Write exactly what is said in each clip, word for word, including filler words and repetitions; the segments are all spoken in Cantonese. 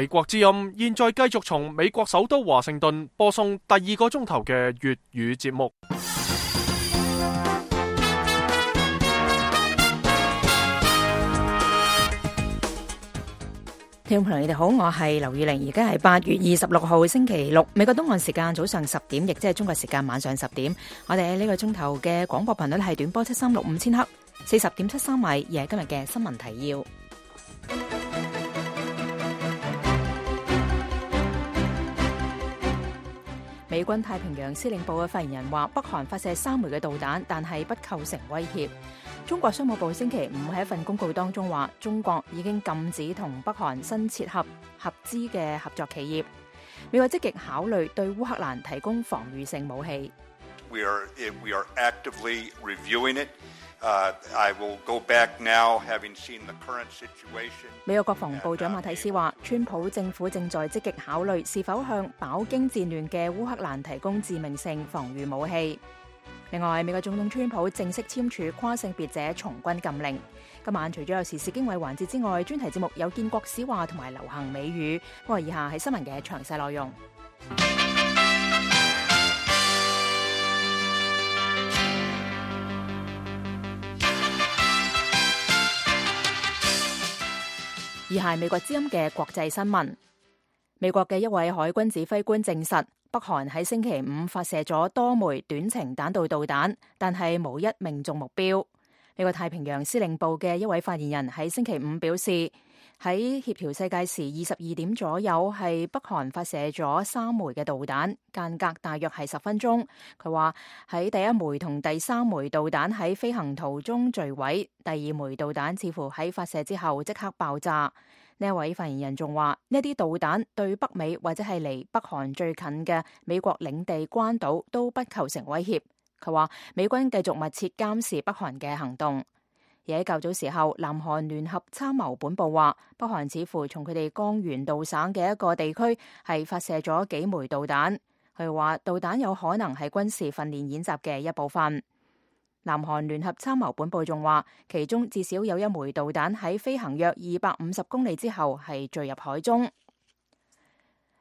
美國之音現在繼續從美國首都華盛頓播送第二個鐘頭嘅粵語節目。聽眾朋友，你哋好，我係劉宇玲，而家係八月二十六號星期六，美國東岸時間早上十點，亦即係中國時間晚上十點。我哋喺呢個鐘頭嘅廣播頻率係短波七三六五千赫，四十點七三米，而係今日嘅新聞提要。美軍太平洋司令部嘅發言人話，北韓發射三枚嘅導彈，但係不構成威脅。中國商務部星期五喺一份公告當中話，中國已經禁止同北韓新設合合資嘅合作企業。美國積極考慮對烏克蘭提供防禦性武器。We are, we are actively reviewing it. Uh, I will go back now, having seen the current situation. 美國國防部長馬蒂斯話，川普政府正在積極考慮是否向飽經戰亂嘅烏克蘭提供致命性防禦武器。另外，美國總統川普正式簽署跨性別者從軍禁令。今晚除咗有時事經緯環節之外，專題節目有建國史話同埋流行美語。不過以下係新聞嘅詳細內容。以下係美國之音嘅國際新聞。美國嘅一位海軍指揮官證實，北韓喺星期五發射咗多枚短程彈道導彈，但係無一命中目標。美國太平洋司令部嘅一位發言人喺星期五表示，喺協調世界時二十二點左右，係北韓發射咗三枚嘅導彈，間隔大約係十分鐘。佢話喺第一枚同第三枚導彈喺飛行途中墜毀，第二枚導彈似乎喺發射之後即刻爆炸。呢一位發言人仲話，呢啲導彈對北美或者係離北韓最近嘅美國領地關島都不構成威脅。佢話美軍繼續密切監視北韓嘅行動。而喺較早時候，南韓聯合參謀本部話，北韓似乎從佢哋江原道省嘅一個地區係發射咗幾枚導彈。佢話導彈有可能係軍事訓練演習嘅一部分。南韓聯合參謀本部仲話，其中至少有一枚導彈喺飛行約二百五十公里之後係墜入海中。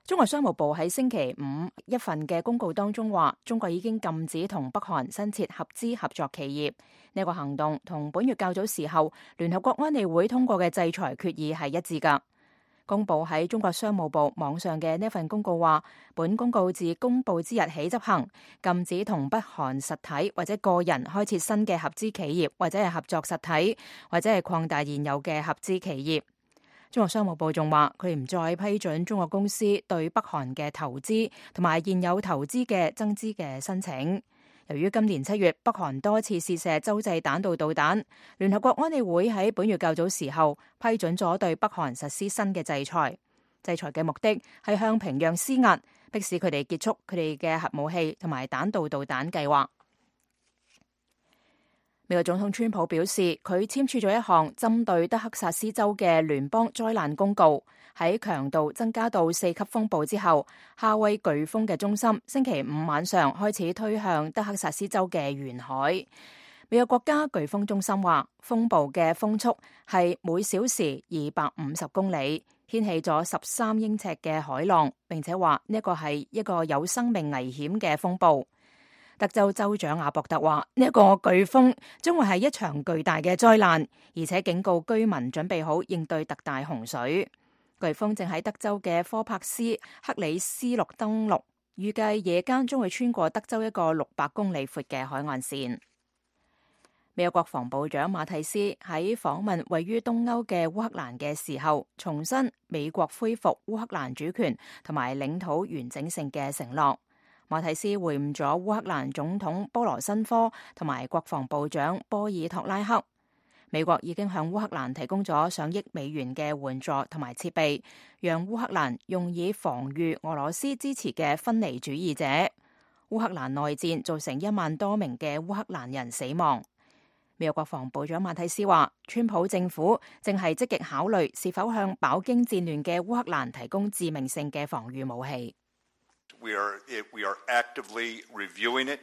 中國商務部喺星期五一份嘅公告當中話，中國已經禁止同北韓新設合資合作企業。呢個行動同本月較早時候聯合國安理會通過嘅制裁決議係一致㗎。公佈喺中國商務部網上嘅呢份公告話，本公告自公佈之日起執行，禁止同北韓實體或者個人開設新嘅合資企業，或者係合作實體，或者係擴大現有嘅合資企業。中國商務部仲話，佢唔再批准中國公司對北韓嘅投資同埋現有投資嘅增資嘅申請。由於今年七月北韓多次試射洲際彈道導彈，聯合國安理會喺本月較早時候批准咗對北韓實施新嘅制裁。制裁嘅目的係向平壤施壓，迫使佢哋結束佢哋嘅核武器同埋彈道導彈計劃。美國總統川普表示，佢簽署咗一項針對德克薩斯州嘅聯邦災難公告。喺強度增加到四級風暴之後，夏威颶風嘅中心星期五晚上開始推向德克薩斯州嘅沿海。美國國家颶風中心話，風暴嘅風速係每小時二百五十公里，掀起咗十三英尺嘅海浪，並且話呢一個係一個有生命危險嘅風暴。德州州長阿博特話，呢一個颶風將會係一場巨大嘅災難，而且警告居民準備好應對特大洪水。颶風正喺德州嘅科帕斯克里斯陸登陸，預計夜間將會穿過德州一個六百公里闊嘅海岸線。美國國防部長馬蒂斯喺訪問位於東歐嘅烏克蘭嘅時候，重申美國恢復烏克蘭主權同埋領土完整性嘅承諾。馬蒂斯會晤咗烏克蘭總統波羅申科同埋國防部長波爾托拉克。美國已經向烏克蘭提供咗上億美元嘅援助同埋設備，讓烏克蘭用以防禦俄羅斯支持嘅分離主義者。烏克蘭內戰造成一萬多名嘅烏克蘭人死亡。美國國防部長馬蒂斯話，川普政府正係積極考慮是否向飽經戰亂嘅烏克蘭提供致命性嘅防禦武器。We are, we are actively reviewing it.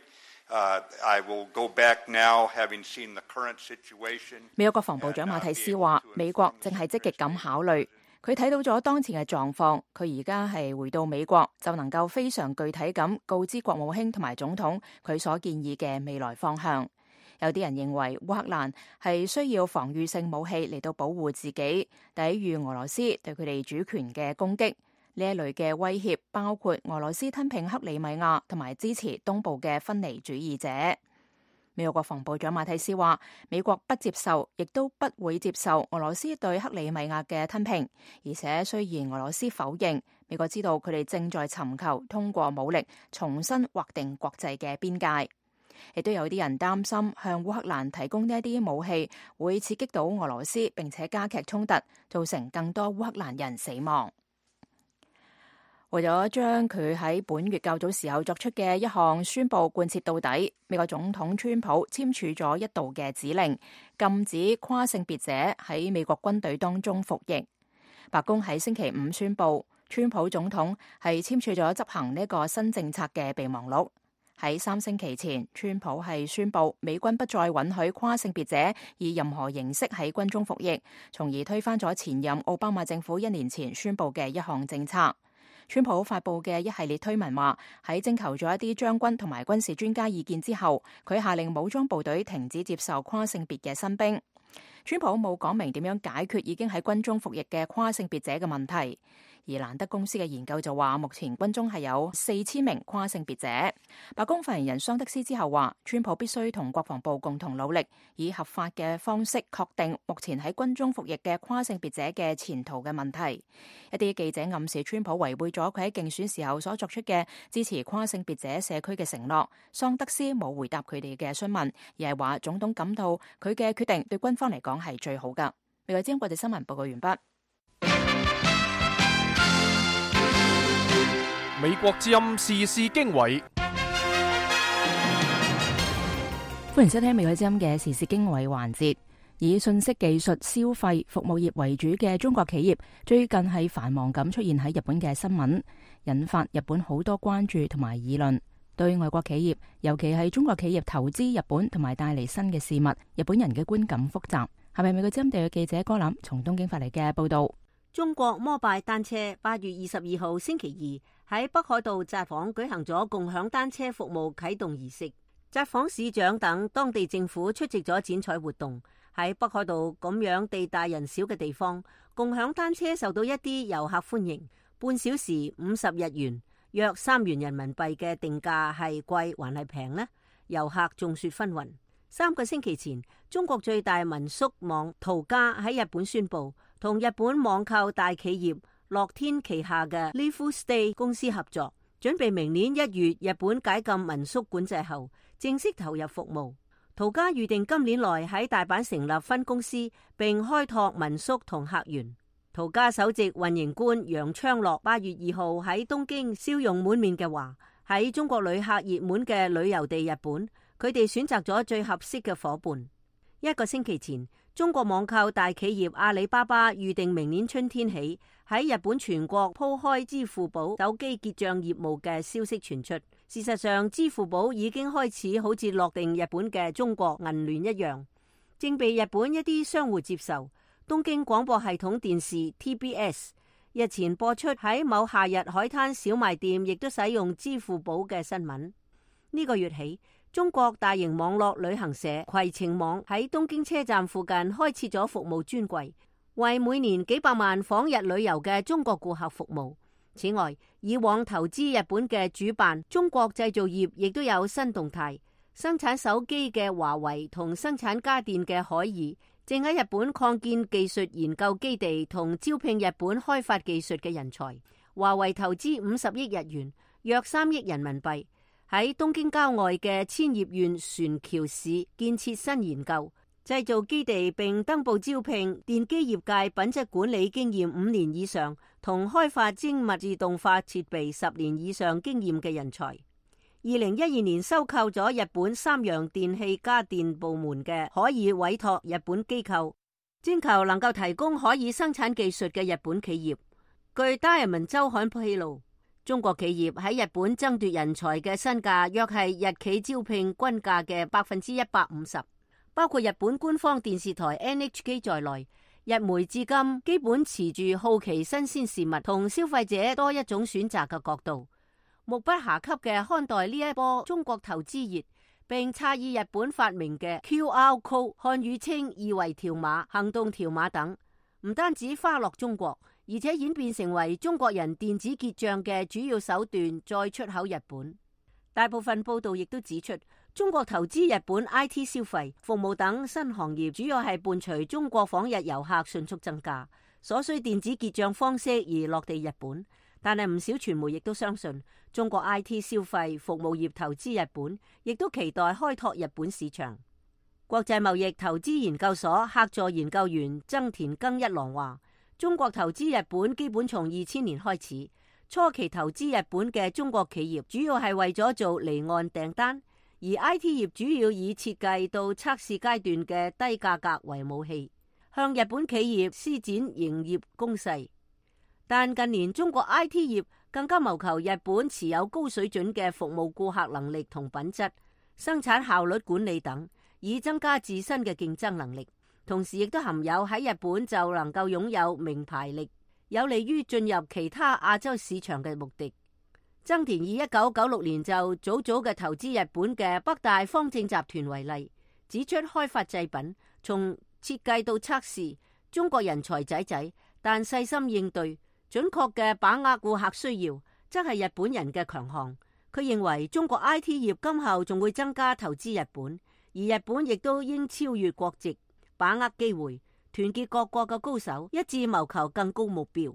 Uh, I will go back now, having seen the current situation. 美國國防部長馬蒂斯話，美國正係積極咁考慮。佢睇到咗當前嘅狀況，佢而家係回到美國，就能夠非常具體咁告知國務卿同埋總統佢所建議嘅未來方向。有啲人認為烏克蘭係需要防禦性武器嚟到保護自己，抵禦俄羅斯對佢哋主權嘅攻擊。呢一類嘅威脅包括俄羅斯吞併克里米亞同埋支持東部嘅分離主義者。美國國防部長馬蒂斯話，美國不接受，亦都不會接受俄羅斯對克里米亞嘅吞併，而且雖然俄羅斯否認，美國知道佢哋正在尋求通過武力重新劃定國際嘅邊界。亦都有啲人擔心向烏克蘭提供呢一啲武器會刺激到俄羅斯，並且加劇衝突，造成更多烏克蘭人死亡。為咗將佢喺本月較早時候作出嘅一項宣佈貫徹到底，美國總統川普簽署咗一道嘅指令，禁止跨性別者喺美國軍隊當中服役。白宮喺星期五宣佈，川普總統係簽署咗執行呢個新政策嘅備忘錄。喺三星期前，川普係宣布美軍不再允許跨性別者以任何形式喺軍中服役，從而推翻咗前任奧巴馬政府一年前宣布嘅一項政策。川普發布嘅一系列推文話，喺徵求咗一啲將軍同埋軍事專家意見之後，佢下令武裝部隊停止接受跨性別嘅新兵。川普冇講明點樣解決已經喺軍中服役嘅跨性別者嘅問題。而蘭德公司嘅研究就話，目前軍中係有四千名跨性別者。白宮發言人桑德斯之後話，川普必須同國防部共同努力，以合法嘅方式確定目前喺軍中服役嘅跨性別者嘅前途嘅問題。一啲記者暗示川普違背咗佢喺競選時候所作出嘅支持跨性別者社區嘅承諾。桑德斯冇回答佢哋嘅詢問，而係話總統感到佢嘅決定對軍方嚟講係最好㗎。美國之音國際新聞報告完畢。美國之音時事經緯，歡迎收聽美國之音嘅時事經緯環節。以信息技術、消費、服務業為主嘅中國企業，最近係繁忙咁出現喺日本嘅新聞，引發日本好多關注同埋議論。對外國企業，尤其係中國企業投資日本同埋帶嚟新嘅事物，日本人嘅觀感複雜。係咪美國之音地嘅記者哥林從東京發嚟嘅報道？中國摩拜單車八月二十二號星期二喺北海道札幌舉行咗共享單車服務啟動儀式，札幌市長等當地政府出席咗剪彩活動。喺北海道咁樣地大人少嘅地方，共享單車受到一啲遊客歡迎。半小時五十日元，約三元人民幣嘅定價係貴還係平呢？遊客眾說紛紜。三個星期前，中國最大民宿網途家喺日本宣布，同日本網購大企業樂天旗下嘅 Live Stay 公司合作，準備明年一月日本解禁民宿管制後，正式投入服務。途家預定今年內喺大阪成立分公司，並開拓民宿同客源。途家首席運營官楊昌樂八月二號喺東京笑容滿面嘅話，喺中國旅客熱門嘅旅遊地日本，佢哋選擇咗最合適嘅夥伴。一個星期前，中國網購大企業阿里巴巴預定明年春天起喺日本全國鋪開支付寶手機結賬業務嘅消息傳出。事實上，支付寶已經開始好似落定日本嘅中國銀聯一樣，正被日本一啲商戶接受。東京廣播系統電視 T B S 日前播出喺某夏日海灘小賣店亦都使用支付寶嘅新聞。呢個月起，中國大型網絡旅行社携程網喺東京車站附近開設咗服務專櫃，為每年幾百萬訪日旅遊嘅中國顧客服務。此外，以往投資日本嘅主辦中國製造業亦都有新動態。生產手機嘅華為同生產家電嘅海爾正喺日本擴建技術研究基地同招聘日本開發技術嘅人才。華為投資五十億日元，約三億人民幣，喺東京郊外嘅千葉縣船橋市建設新研究製造基地，並登報招聘電機業界品質管理經驗五年以上同開發精密自動化設備十年以上經驗嘅人才。二零一二年收購咗日本三洋電器家電部門嘅可以委託日本機構，徵求能夠提供可以生產技術嘅日本企業。據《Diamond 週刊》披露，中國企業喺日本爭奪人才嘅身價約係日企招聘均價嘅百分之一百五十。包括日本官方電視台 N H K 在內，日媒至今基本持住好奇新鮮事物同消費者多一種選擇嘅角度，目不暇給嘅看待呢一波中國投資熱，並詫異日本發明嘅 Q R Code 漢語稱二維條碼、行動條碼等，唔單止花落中國，而且演變成為中國人電子結賬嘅主要手段，再出口日本。大部分報道亦都指出，中國投資日本 I T 消費、服務等新行業，主要係伴隨中國訪日遊客迅速增加，所需電子結賬方式而落地日本。但係唔少傳媒亦都相信，中國 I T 消費、服務業投資日本，亦都期待開拓日本市場。國際貿易投資研究所客座研究員增田耕一郎話，中國投資日本基本從二千年開始，初期投資日本嘅中國企業主要係為咗做離岸訂單，而 I T 業主要以設計到測試階段嘅低價格為武器，向日本企業施展營業攻勢。但近年中國 I T 業更加謀求日本持有高水準嘅服務顧客能力同品質、生產效率管理等，以增加自身嘅競爭能力。同時亦都含有喺日本就能夠擁有名牌力，有利於進入其他亞洲市場嘅目的。增田以一九九六年就早早嘅投資日本嘅北大方正集團為例，指出開發製品從設計到測試，中國人才濟濟，但細心應對、準確嘅把握顧客需要，則係日本人嘅強項。佢認為中國 I T 業今後仲會增加投資日本，而日本亦都應超越國籍，把握機會，團結各國嘅高手，一致謀求更高目標。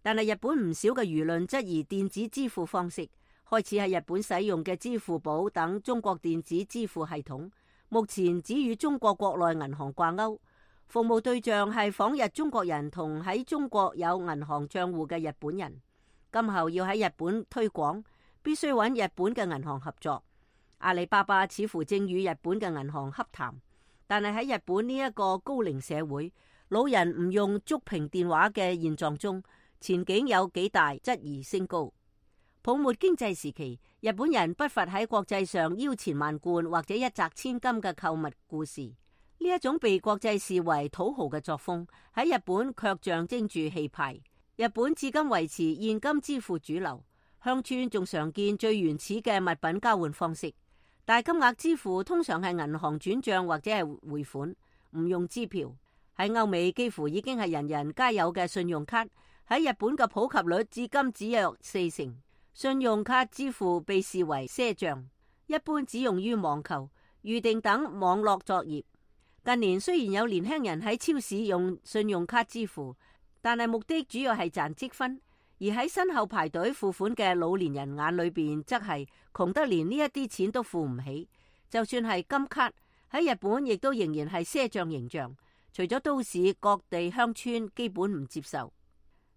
但係日本唔少嘅輿論質疑電子支付方式，開始喺日本使用嘅支付寶等中國電子支付系統，目前只與中國國內銀行掛鈎，服務對象係訪日中國人同喺中國有銀行賬戶嘅日本人。今後要喺日本推廣，必須揾日本嘅銀行合作。阿里巴巴似乎正與日本嘅銀行洽談，但係喺日本呢一個高齡社會，老人唔用觸屏電話嘅現狀中，前景有幾大質疑升高。泡沫經濟時期，日本人不乏喺國際上腰纏萬貫或者一擲千金嘅購物故事。呢一種被國際視為土豪嘅作風，喺日本卻象徵住氣派。日本至今維持現金支付主流，鄉村仲常見最原始嘅物品交換方式。大金額支付通常係銀行轉賬或者係匯款，唔用支票。喺歐美幾乎已經係人人皆有嘅信用卡，喺日本嘅普及率至今只有四成。信用卡支付被視為賒賬，一般只用於網購、預訂等網絡作業。近年雖然有年輕人喺超市用信用卡支付，但係目的主要係賺積分，而喺身後排隊付款嘅老年人眼裏邊，則係窮得連呢一啲錢都付唔起。就算係金卡，喺日本亦都仍然係賒賬形象，除咗都市，各地鄉村基本唔接受。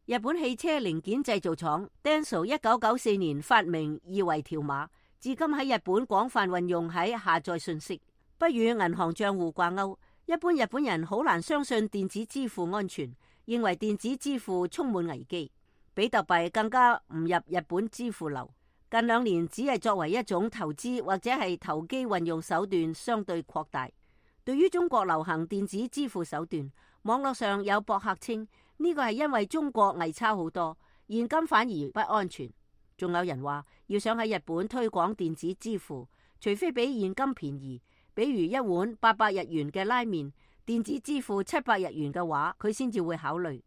日本汽車零件製造廠 Denso 一九九四年發明二維條碼，至今喺日本廣泛運用喺下載信息，不與銀行賬戶掛鈎。一般日本人好難相信電子支付安全，認為電子支付充滿危機。比特幣更加唔入日本支付流，近兩年只係作為一種投資或者係投機運用手段相對擴大。對於中國流行電子支付手段，網絡上有博客稱呢個係因為中國偽鈔好多，現金反而不安全。仲有人話要想喺日本推廣電子支付，除非比現金便宜，比如一碗八百日元嘅拉麵，電子支付七百日元嘅話，佢先至會考慮。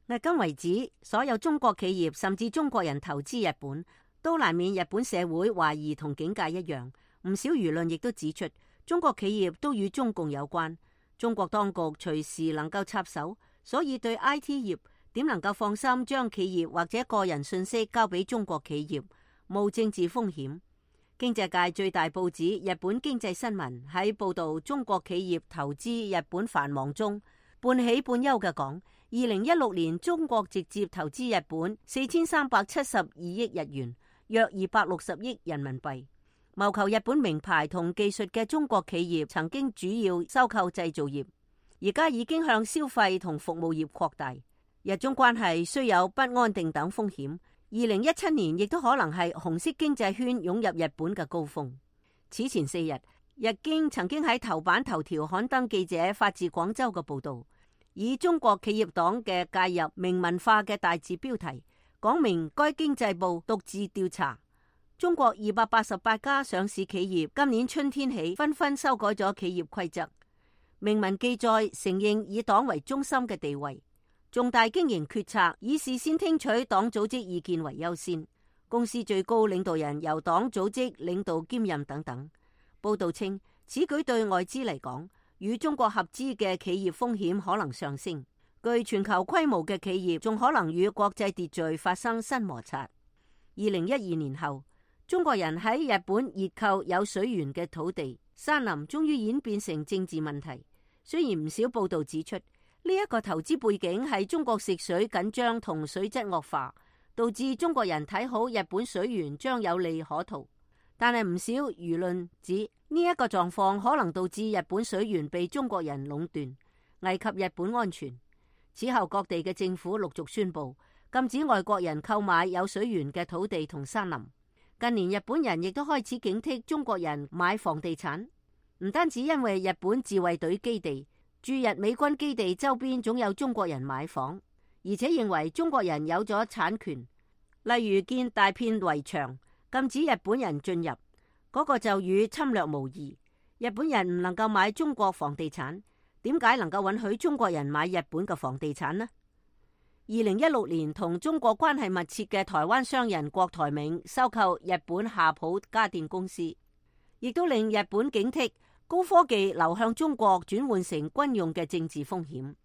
迄今為止，所有中國企業甚至中國人投資日本，都難免日本社會懷疑同警戒一樣。唔少輿論亦都指出，中國企業都與中共有關，中國當局隨時能夠插手，所以對 I T 業點能夠放心將企業或者個人信息交俾中國企業，冒政治風險。經濟界最大報紙《日本經濟新聞》喺報道中國企業投資日本繁忙中，半喜半憂嘅講，二零一六年中國直接投資日本四千三百七十二億日元，約二百六十億人民幣，謀求日本名牌同技術嘅中國企業曾經主要收購製造業，而家已經向消費同服務業擴大。日中關係雖有不安定等風險，二零一七年亦都可能係紅色經濟圈湧入日本嘅高峰。此前四日，日經曾經喺頭版頭條刊登記者發自廣州嘅報道，以中國企業黨嘅介入明文化嘅大字標題，講明該經濟部獨自調查中國二百八十八家上市企業，今年春天起紛紛修改咗企業規則，明文記載承認以黨為中心嘅地位，重大經營決策以事先聽取黨組織意見為優先，公司最高領導人由黨組織領導兼任等等。報道稱，此舉對外資嚟講，與中國合資嘅企業風險可能上升，具全球規模嘅企業仲可能與國際秩序發生新摩擦。二零一二年後，中國人喺日本熱購有水源嘅土地，山林終於演變成政治問題。雖然唔少報道指出，呢一個投資背景係中國食水緊張同水質惡化，導致中國人睇好日本水源將有利可圖，但係唔少輿論指呢一個狀況可能導致日本水源被中國人壟斷，危及日本安全。此後各地嘅政府陸續宣布禁止外國人購買有水源嘅土地同山林。近年日本人亦都開始警惕中國人買房地產，唔單止因為日本自衛隊基地、駐日美軍基地周邊總有中國人買房，而且認為中國人有咗產權，例如建大片圍牆禁止日本人進入，嗰個就與侵略無異。日本人唔能夠買中國房地產，點解能夠允許中國人買日本嘅房地產呢？二零一六年，同中國關係密切嘅台灣商人郭台銘收購日本夏普家電公司，亦都令日本警惕高科技流向中國轉換成軍用嘅政治風險。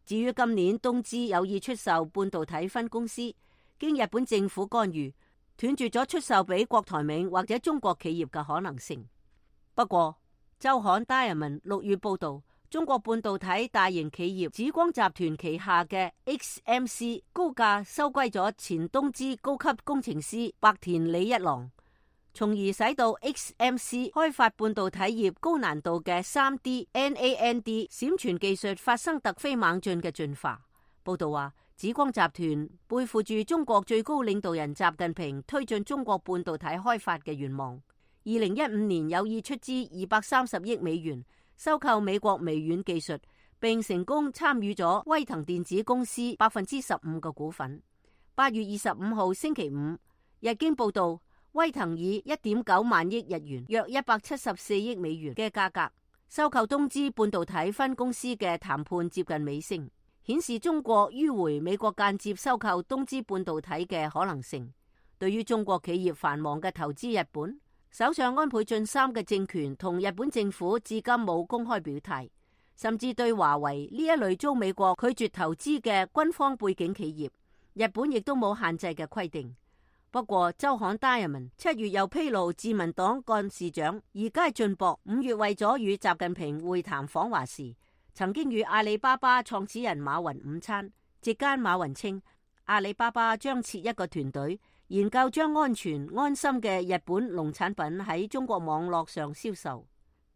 至於今年東芝有意出售半導體分公司，經日本政府干預，斷絕咗出售俾郭台銘或者中國企業嘅可能性。不過，週刊 Diamond 六月報道，中國半導體大型企業紫光集團旗下嘅 X M C 高價收歸咗前東芝高級工程師白田李一郎，從而使到 X M C 開發半導體業高難度嘅 三 D N A N D 閃存技術發生突飛猛進嘅進化。報道話，紫光集團背負住中國最高領導人習近平推進中國半導體開發嘅願望，二零一五年有意出資二百三十億美元收購美國微軟技術，並成功參與咗威騰電子公司百分之十五嘅股份。八月二十五號星期五，日經報道，威騰以一點九萬億日元，約一百七十四億美元嘅價格收購東芝半導體分公司嘅談判接近尾聲，顯示中國迂回美國間接收購東芝半導體嘅可能性。對於中國企業繁忙嘅投資日本，首相安倍晉三嘅政權同日本政府至今冇公開表態，甚至對華為呢一類遭美國拒絕投資嘅軍方背景企業，日本亦都冇限制嘅規定。不過，週刊 Diamond 七月又披露，自民黨幹事長二階俊博五月為咗與習近平會談訪華時，曾經與阿里巴巴創始人馬雲午餐。席間馬雲稱，阿里巴巴將設一個團隊，研究將安全安心嘅日本農產品喺中國網絡上銷售。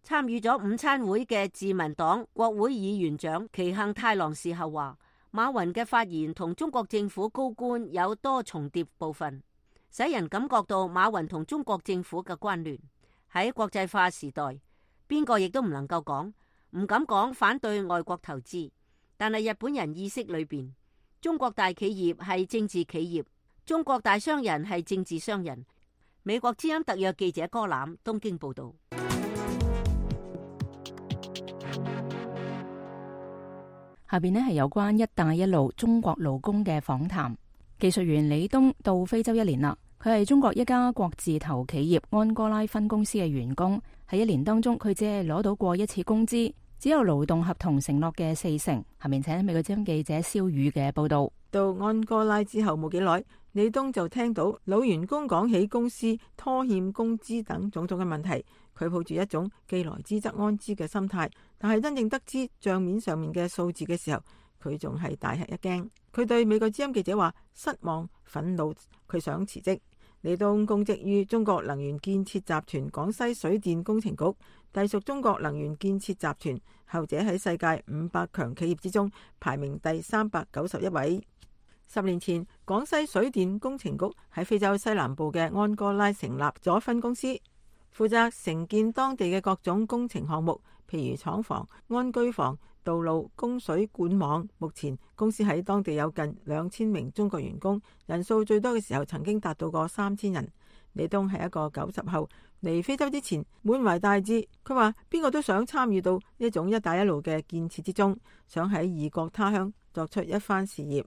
參與咗午餐會嘅自民黨國會議員長崎幸太郎事後話，馬雲嘅發言同中國政府高官有多重疊部分，使人感覺到馬雲同中國政府嘅關聯。喺國際化時代，邊個亦都唔能夠講，唔敢講反對外國投資，但係日本人意識裏邊，中國大企業係政治企業，中國大商人係政治商人。美國之音特約記者柯攬東京報道。下邊呢係有關一帶一路中國勞工嘅訪談。技術員李東到非洲一年啦，佢係中國一家國字頭企業安哥拉分公司嘅員工。喺一年當中，佢只係攞到過一次工資，只有勞動合同承諾嘅四成。下面請美國之音記者蕭宇嘅報道。到安哥拉之後冇幾耐，李東就聽到老員工講起公司拖欠工資等種種嘅問題。佢抱住一種既來之則安之嘅心態，但係真正得知賬面上面嘅數字嘅時候，佢仲係大吃一驚。佢對美國之音記者話失望、憤怒，佢想辭職。李東公職於中國能源建設集團廣西水電工程局，隸屬中國能源建設集團，後者喺世界五百強企業之中排名第三百九十一位。十年前，廣西水電工程局喺非洲西南部嘅安哥拉成立咗分公司，負責承建當地嘅各種工程項目，譬如廠房、安居房、道路、供水管網。目前公司喺當地有近兩千名中國員工，人數最多嘅時候曾經達到過三千人。李東係一個九十後，嚟非洲之前滿懷大志，佢話邊個都想參與到呢種一帶一路嘅建設之中，想喺異國他鄉作出一番事業。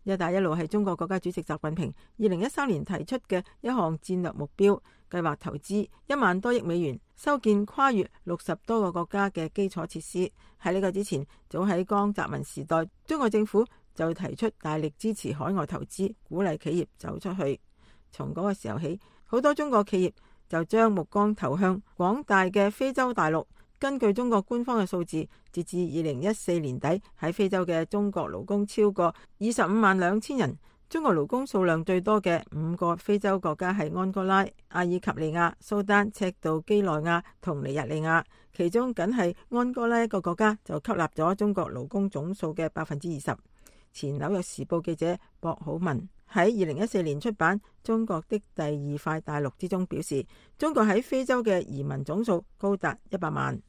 一帶一路係中國國家主席習近平二零一三年提出嘅一項戰略目標，計劃投資一萬多億美元，修建跨越六十多個國家嘅基礎設施。喺呢個之前，早喺江澤民時代，中國政府就提出大力支持海外投資，鼓勵企業走出去。從嗰個時候起，好多中國企業就將目光投向廣大嘅非洲大陸。根據中國官方嘅數字，截至二零一四年底，喺非洲嘅中國勞工超過二十五萬兩千人。中國勞工數量最多嘅五個非洲國家係安哥拉、阿爾及利亞、蘇丹、赤道幾內亞同尼日利亞，其中僅係安哥拉一個國家就吸納咗中國勞工總數嘅百分之二十。前紐約時報記者博好文喺二零一四年出版《中國的第二塊大陸》之中表示，中國喺非洲嘅移民總數高達一百萬。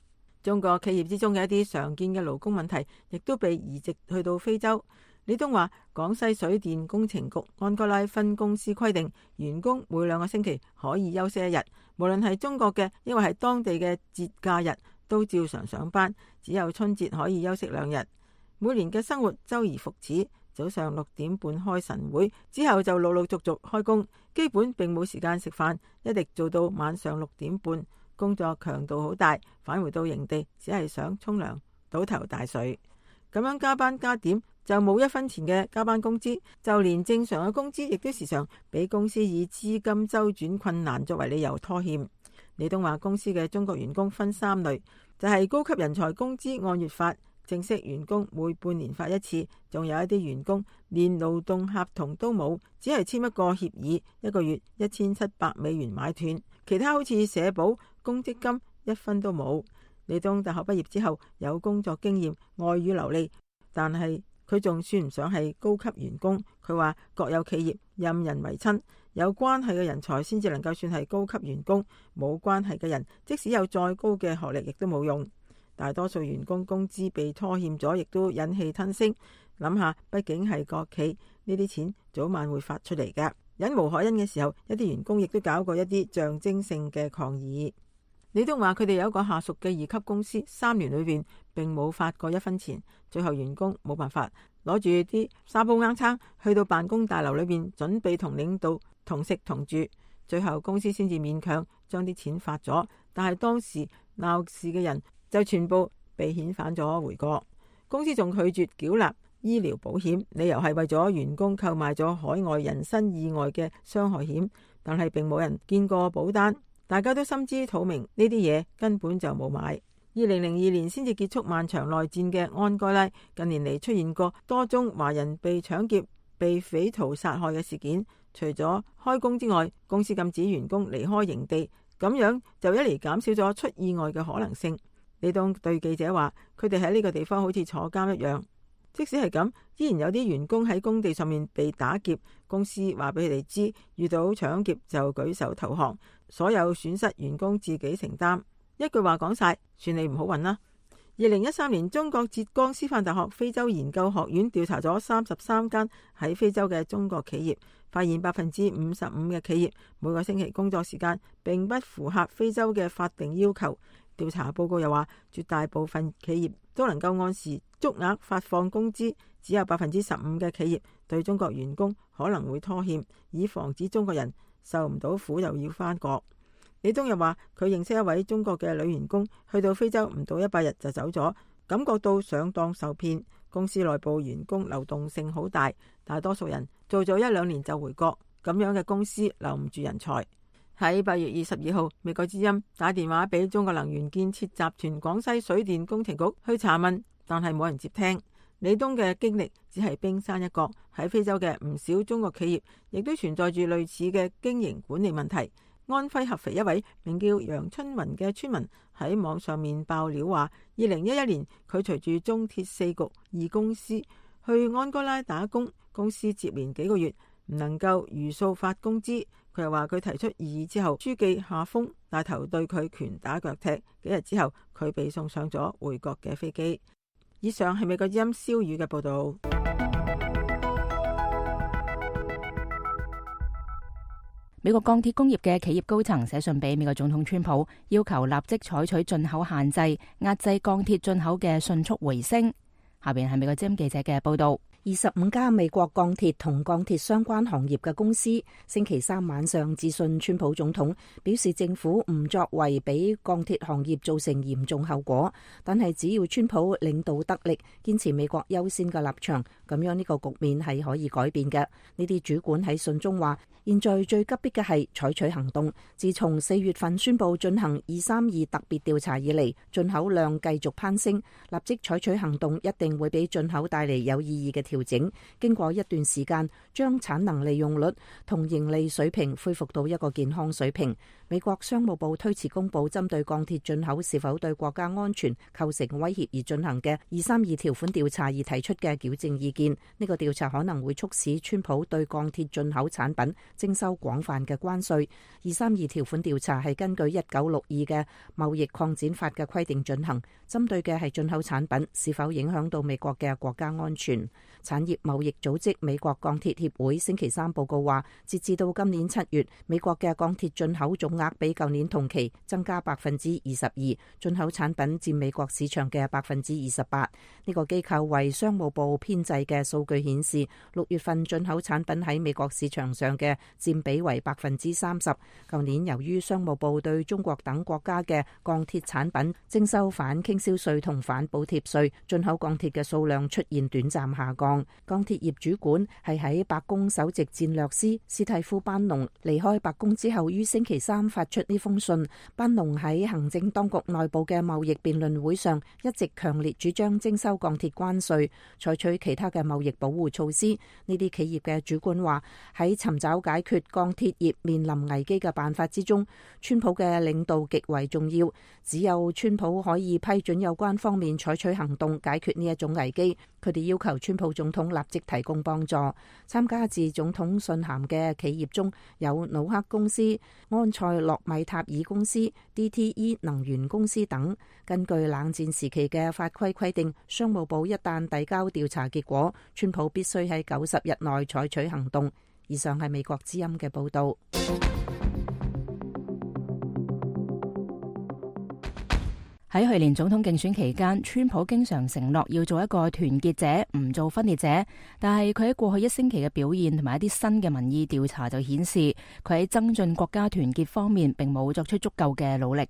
中國企業之中嘅一啲常見嘅勞工問題，亦都被移植去到非洲。李東話，廣西水電工程局安哥拉分公司規定，員工每兩個星期可以休息一日，無論係中國嘅，抑或係當地嘅節假日，都照常上班，只有春節可以休息兩日。每年嘅生活周而復始，早上六點半開晨會，之後就陸陸續續開工，基本並冇時間食飯，一直做到晚上六點半。工作強度好大，返回到營地只係想沖涼、倒頭大睡。咁樣加班加點就冇一分錢嘅加班工資，就連正常嘅工資亦都時常俾公司以資金周轉困難作為理由拖欠。李東話，公司嘅中國員工分三類，就係高級人才工資按月發，正式員工每半年發一次，仲有一啲員工連勞動合同都冇，只係簽一個協議，一個月一千七百美元買斷，其他好似社保、公積金一分都冇。李東大學畢業之後有工作經驗，外語流利，但係佢仲算唔上係高級員工。佢話國有企業任人唯親，有關係嘅人才先至能夠算係高級員工，冇關係嘅人即使有再高嘅學歷亦都冇用。大多數員工工資被拖欠咗，亦都忍氣吞聲。諗下，畢竟係國企，呢啲錢早晚會發出嚟㗎。忍無可忍嘅時候，一啲員工亦都搞過一啲象徵性嘅抗議。李東話佢哋有一個下屬嘅二級公司，三年裏邊並冇發過一分錢，最後員工冇辦法攞住啲沙煲罌罉去到辦公大樓裏邊準備同領導同食同住，最後公司先至勉強將啲錢發咗，但係當時鬧事嘅人就全部被遣返咗回國。公司仲拒絕繳納醫療保險，理由係為咗員工購買咗海外人身意外嘅傷害險，但係並冇人見過保單。大家都心知肚明，呢啲嘢根本就冇買。二零零二年先至結束漫長內戰嘅安哥拉，近年嚟出現過多宗華人被搶劫、被匪徒殺害嘅事件。除咗開工之外，公司禁止員工離開營地，咁樣就一嚟減少咗出意外嘅可能性。李東對記者話，佢哋喺呢個地方好似坐監一樣。即使係咁，依然有啲員工喺工地上面被打劫，公司話俾佢哋知，遇到搶劫就舉手投降，所有損失員工自己承擔。一句話講晒，算你唔好運啦。二零一三年，中國浙江師範大學非洲研究學院調查咗三十三間喺非洲嘅中國企業，發現百分之五十五嘅企業每個星期工作時間並不符合非洲嘅法定要求。調查報告又話，絕大部分企業都能夠按時足額發放工資，只有百分之十五嘅企業對中國員工可能會拖欠，以防止中國人受唔到苦又要返國。李東又話，佢認識一位中國嘅女員工，去到非洲唔到一百日就走咗，感覺到上當受騙。公司內部員工流動性好大，大多數人做咗一兩年就回國，咁樣嘅公司留唔住人才。喺八月二十二號，美國之音打電話俾中國能源建設集團廣西水電工程局去查問，但係冇人接聽。李東嘅經歷只係冰山一角，喺非洲嘅唔少中國企業亦都存在住類似嘅經營管理問題。安徽合肥一位名叫楊春雲嘅村民喺網上面爆料話，二零一一年佢隨住中鐵四局二公司去安哥拉打工，公司接連幾個月唔能夠如數發工資。佢又話佢提出異議之後，書記夏峰帶頭對佢拳打腳踢。幾日之後，佢被送上咗回國嘅飛機。以上係美國之音蕭宇嘅報道。美國鋼鐵工業嘅企業高層寫信俾美國總統川普，要求立即採取進口限制，壓制鋼鐵進口嘅迅速回升。下邊係美國之音記者嘅報道。二十五家美國鋼鐵同鋼鐵相關行業嘅公司星期三晚上致信川普總統，表示政府唔作為俾鋼鐵行業造成嚴重後果，但係只要川普領導得力，堅持美國優先嘅立場，咁樣呢個局面係可以改變嘅。呢啲主管喺信中話，現在最急迫嘅係採取行動。自從四月份宣布進行二三二特別調查以嚟，進口量繼續攀升，立即採取行動一定會俾進口帶嚟有意義嘅調整。經過一段時間，將產能利用率同盈利水平恢復到一個健康水平。美國商務部推遲公布針對鋼鐵進口是否對國家安全構成威脅而進行嘅二三二條款調查而提出嘅矯正意見。呢個調查可能會促使川普對鋼鐵進口產品徵收廣泛嘅關稅。二三二條款調查係根據一九六二嘅貿易擴展法嘅規定進行，針對嘅係進口產品是否影響到美國嘅國家安全。產業貿易組織美國鋼鐵協會星期三報告話，截至到今年七月，美國嘅鋼鐵進口總額比舊年同期增加百分之二十二，進口產品佔美國市場嘅百分之二十八。呢個機構為商務部編製嘅數據顯示，六月份進口產品喺美國市場上嘅佔比為百分之三十。舊年由於商務部對中國等國家嘅鋼鐵產品徵收反傾銷稅同反補貼稅，進口鋼鐵嘅數量出現短暫下降。鋼鐵業主管係喺白宮首席戰略師斯蒂夫班農離開白宮之後，於星期三發出呢封信。班農喺行政當局內部嘅貿易辯論會上，一直強烈主張徵收鋼鐵關稅，採取其他嘅貿易保護措施。呢啲企業嘅主管話，喺尋找解決鋼鐵業面臨危機嘅辦法之中，川普嘅領導極為重要。只有川普可以批准有關方面採取行動解決呢一種危機。佢哋要求川普總統立即提供幫助。參加致總統信函嘅企業中有努克公司、安塞洛米塔爾公司、D T E 能源公司等。根據冷戰時期嘅法規規定，商務部一旦遞交調查結果，川普必須喺九十日內採取行動。以上係美國之音嘅報道。喺去年總統競選期間，川普經常承諾要做一個團結者，唔做分裂者。但係佢喺過去一星期嘅表現同埋一啲新嘅民意調查就顯示，佢喺增進國家團結方面並冇作出足夠嘅努力。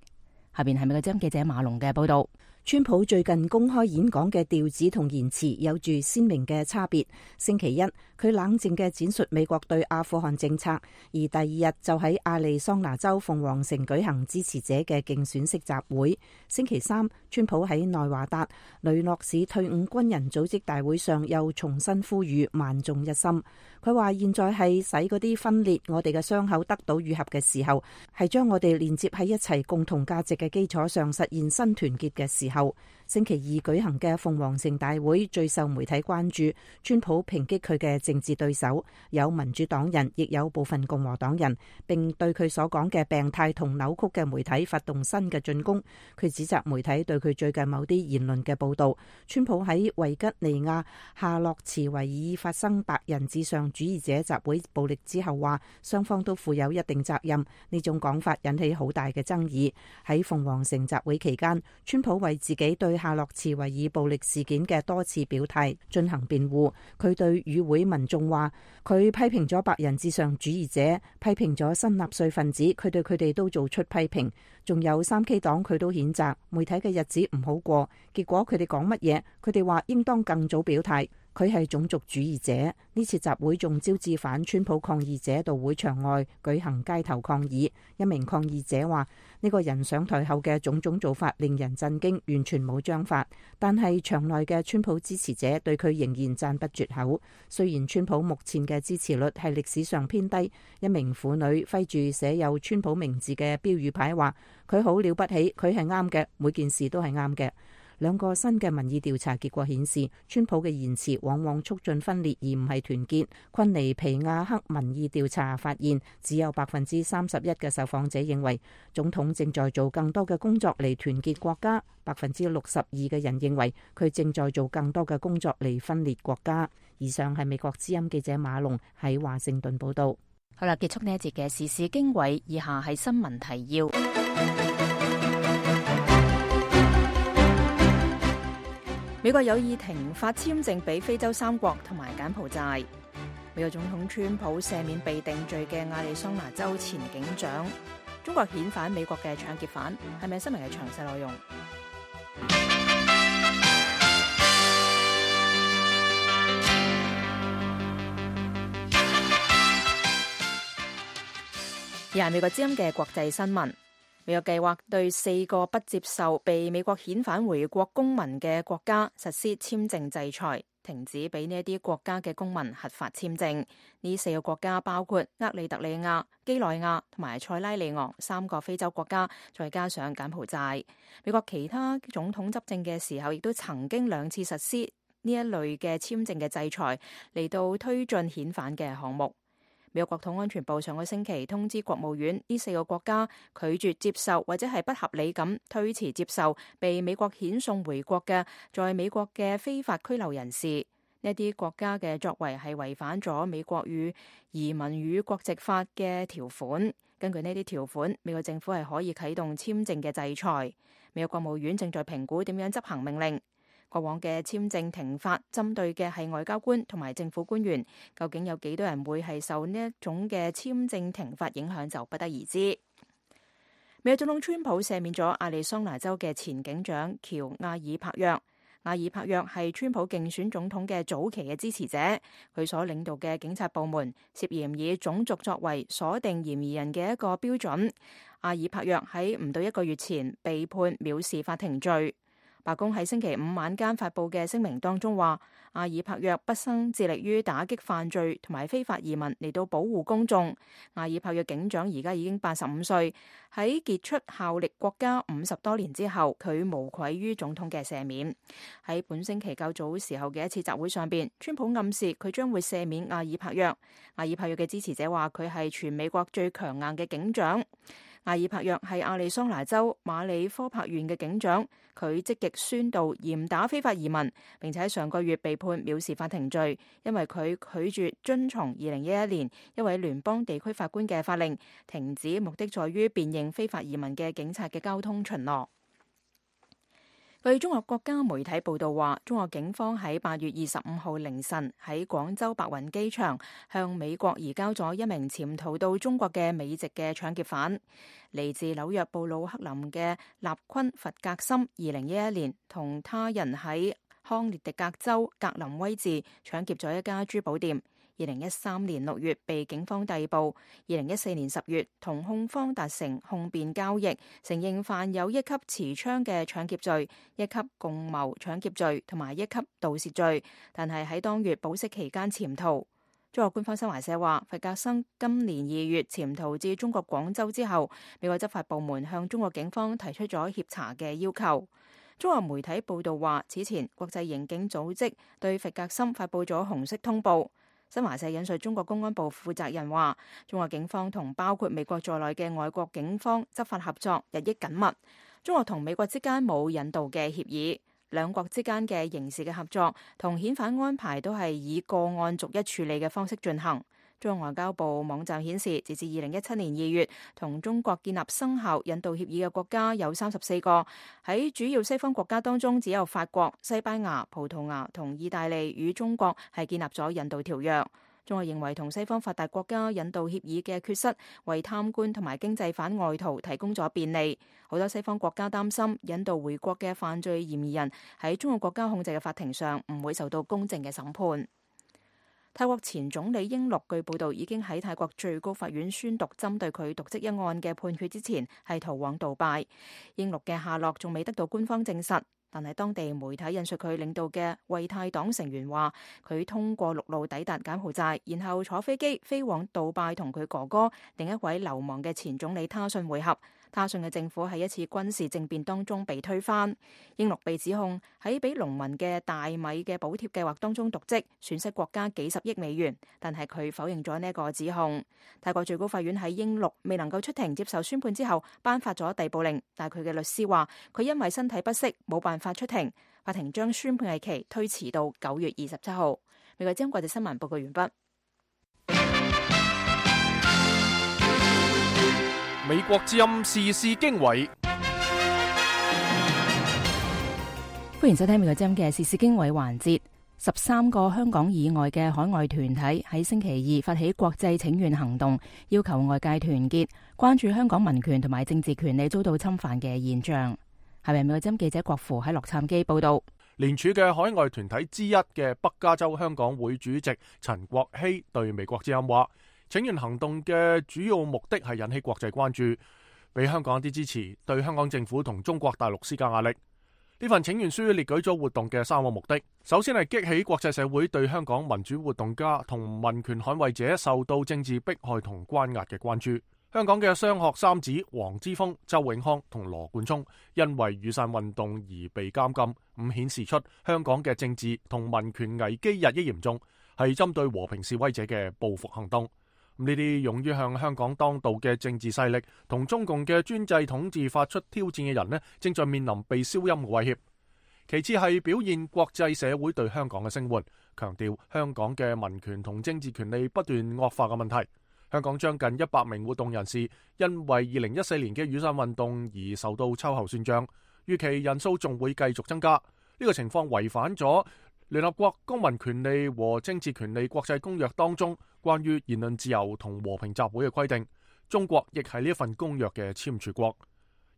下邊係美國之音記者馬龍嘅報道。川普最近公開演講嘅調子同言辭有住鮮明嘅差別。星期一，佢冷靜嘅展述美國對阿富汗政策，而第二日就喺亞利桑那州鳳凰城舉行支持者嘅競選式集會。星期三，川普喺內華達雷諾市退伍軍人組織大會上又重新呼籲萬眾一心。佢話現在係使嗰啲分裂我哋嘅傷口得到愈合嘅時候，係將我哋連接喺一齊共同價值嘅基礎上實現新團結嘅時候。後星期二舉行嘅鳳凰城大會最受媒體關注，川普抨擊佢嘅政治對手，有民主黨人，亦有部分共和黨人，並對佢所講嘅病態同扭曲嘅媒體發動新嘅進攻。佢指責媒體對佢最近某啲言論嘅報道。川普喺維吉尼亞夏洛茨維爾發生白人至上主義者集會暴力之後，話雙方都負有一定責任。呢種講法引起好大嘅爭議。喺鳳凰城集會期間，川普為自己對夏洛茨維爾暴力事件嘅多次表態進行辯護。佢對與會民眾話，佢批評咗白人至上主義者，批評咗新納粹分子，佢對佢哋都做出批評。仲有三 K 黨佢都譴責。媒體嘅日子唔好過，結果佢哋講乜嘢？佢哋話應當更早表態。佢係種族主義者。呢次集會仲招致反川普抗議者到會場外舉行街頭抗議。一名抗議者話：呢個人上台後嘅種種做法令人震驚，完全冇章法。但係場內嘅川普支持者對佢仍然讚不絕口。雖然川普目前嘅支持率係歷史上偏低，一名婦女揮住寫有川普名字嘅標語牌話：佢好了不起，佢係啱嘅，每件事都係啱嘅。兩個新嘅民意調查結果顯示，川普嘅言辭往往促進分裂而唔係團結。昆尼皮亞克民意調查發現，只有百分之三十一嘅受訪者認為總統正在做更多嘅工作嚟團結國家，百分之六十二嘅人認為佢正在做更多嘅工作嚟分裂國家。以上係美國之音記者馬龍喺華盛頓報道。好啦，結束呢一節嘅時事經緯，以下係新聞提要。美國有意停發簽證俾非洲三國同埋柬埔寨。美國總統川普赦免被定罪嘅亞利桑那州前警長。中國遣返美國嘅搶劫犯，係咪新聞嘅詳細內容？而係美國之音嘅國際新聞。美國計劃對四個不接受被美國遣返回國公民嘅國家實施簽證制裁，停止俾呢一啲國家嘅公民核發簽證。呢四個國家包括厄立特里亞、幾內亞同埋塞拉利昂三個非洲國家，再加上柬埔寨。美國其他總統執政嘅時候，亦都曾經兩次實施呢一類嘅簽證嘅制裁，嚟到推進遣返嘅項目。美國國土安全部上個星期通知國務院，呢四個國家拒絕接受或者係不合理咁推遲接受被美國遣送回國嘅在美國嘅非法拘留人士。呢啲國家嘅作為係違反咗美國與移民與國籍法嘅條款。根據呢啲條款，美國政府係可以啟動簽證嘅制裁。美國國務院正在評估點樣執行命令。過往嘅簽證停發針對嘅係外交官同埋政府官員，究竟有幾多人會係受呢一種嘅簽證停發影響就不得而知。美國總統川普赦免咗亞利桑那州嘅前警長喬亞爾帕約。亞爾帕約係川普競選總統嘅早期嘅支持者，佢所領導嘅警察部門涉嫌以種族作為鎖定嫌疑人嘅一個標準。亞爾帕約喺唔到一個月前被判藐視法庭罪。白宮喺星期五晚間發布嘅聲明當中話，亞爾帕約畢生致力於打擊犯罪同埋非法移民嚟到保護公眾。亞爾帕約警長而家已經八十五歲，喺傑出效力國家五十多年之後，佢無愧於總統嘅赦免。喺本星期較早時候嘅一次集會上邊，川普暗示佢將會赦免亞爾帕約。亞爾帕約嘅支持者話佢係全美國最強硬嘅警長。亞爾帕約係亞利桑那州馬里科帕縣嘅警長，佢積極宣導嚴打非法移民，並且喺上個月被判藐視法庭罪，因為佢拒絕遵從二零一一年一位聯邦地區法官嘅法令，停止目的在於辨認非法移民嘅警察嘅交通巡邏。據中國國家媒體報道話，中國警方喺八月二十五號凌晨喺廣州白雲機場向美國移交咗一名潛逃到中國嘅美籍嘅搶劫犯。嚟自紐約布魯克林嘅納昆弗格森，二零一一年同他人喺康涅狄格州格林威治搶劫咗一家珠寶店。二零一三年六月被警方逮捕，二零一四年十月同控方達成控辯交易，承認犯有一級持槍嘅搶劫罪、一級共謀搶劫罪同埋一級盜竊罪，但係喺當月保釋期間潛逃。中國官方新華社話，弗格森今年二月潛逃至中國廣州之後，美國執法部門向中國警方提出咗協查嘅要求。中國媒體報道話，此前國際刑警組織對弗格森發布咗紅色通報。新華社引述中國公安部負責人話，中國警方同包括美國在內嘅外國警方執法合作日益緊密。中國同美國之間冇引渡嘅協議，兩國之間嘅刑事嘅合作同遣返安排都係以個案逐一處理嘅方式進行。中國外交部網站顯示，截至二零一七年二月，同中國建立生效引渡協議嘅國家有三十四個。喺主要西方國家當中，只有法國、西班牙、葡萄牙同意大利與中國係建立咗引渡條約。中國認為同西方發達國家引渡協議嘅缺失，為貪官同埋經濟犯外逃提供咗便利。好多西方國家擔心引渡回國嘅犯罪嫌疑人喺中國國家控制嘅法庭上唔會受到公正嘅審判。泰國前總理英祿據報道已經喺泰國最高法院宣讀針對佢瀆職一案嘅判決之前，係逃往杜拜。英祿嘅下落仲未得到官方證實，但係當地媒體引述佢領導嘅為泰黨成員話，佢通過陸路抵達柬埔寨，然後坐飛機飛往杜拜同佢哥哥另一位流亡嘅前總理他信會合。他信嘅政府喺一次軍事政變當中被推翻。英祿被指控喺俾農民嘅大米嘅補貼計劃當中瀆職，損失國家幾十億美元，但係佢否認咗呢一個指控。泰國最高法院喺英祿未能夠出庭接受宣判之後，頒發咗逮捕令，但係佢嘅律師話佢因為身體不適冇辦法出庭，法庭將宣判日期推遲到九月二十七號。美國之音國際新聞報告完畢。美國之音時事經緯，歡迎收聽美國之音嘅時事經緯環節。十三個香港以外嘅海外團體喺星期二發起國際請願行動，要求外界團結，關注香港民權同埋政治權利遭到侵犯嘅現象。係咪美國之音記者郭芙喺洛杉磯報道？聯署嘅海外團體之一嘅北加州香港會主席陳國希對美國之音話，請願行動嘅主要目的係引起國際關注，俾香港一啲支持，對香港政府同中國大陸施加壓力。呢份請願書列舉咗活動嘅三個目的，首先係激起國際社會對香港民主活動家同民權捍衛者受到政治迫害同關押嘅關注。香港嘅雙學三子黃之鋒、周永康同羅冠聰因為雨傘運動而被監禁，咁顯示出香港嘅政治同民權危機日益嚴重，係針對和平示威者嘅報復行動。呢啲勇於向香港當道嘅政治勢力同中共嘅專制統治發出挑戰嘅人呢，正在面臨被消音嘅威脅。其次係表現國際社會對香港嘅聲援，強調香港嘅民權同政治權利不斷惡化嘅問題。香港將近一百名活動人士因為二零一四年嘅雨傘運動而受到秋後算賬，預期人數仲會繼續增加。呢、這個情況違反咗聯合國公民權利和政治權利國際公約當中關於言論自由同和平集會嘅規定。中國亦係呢一份公約嘅簽署國。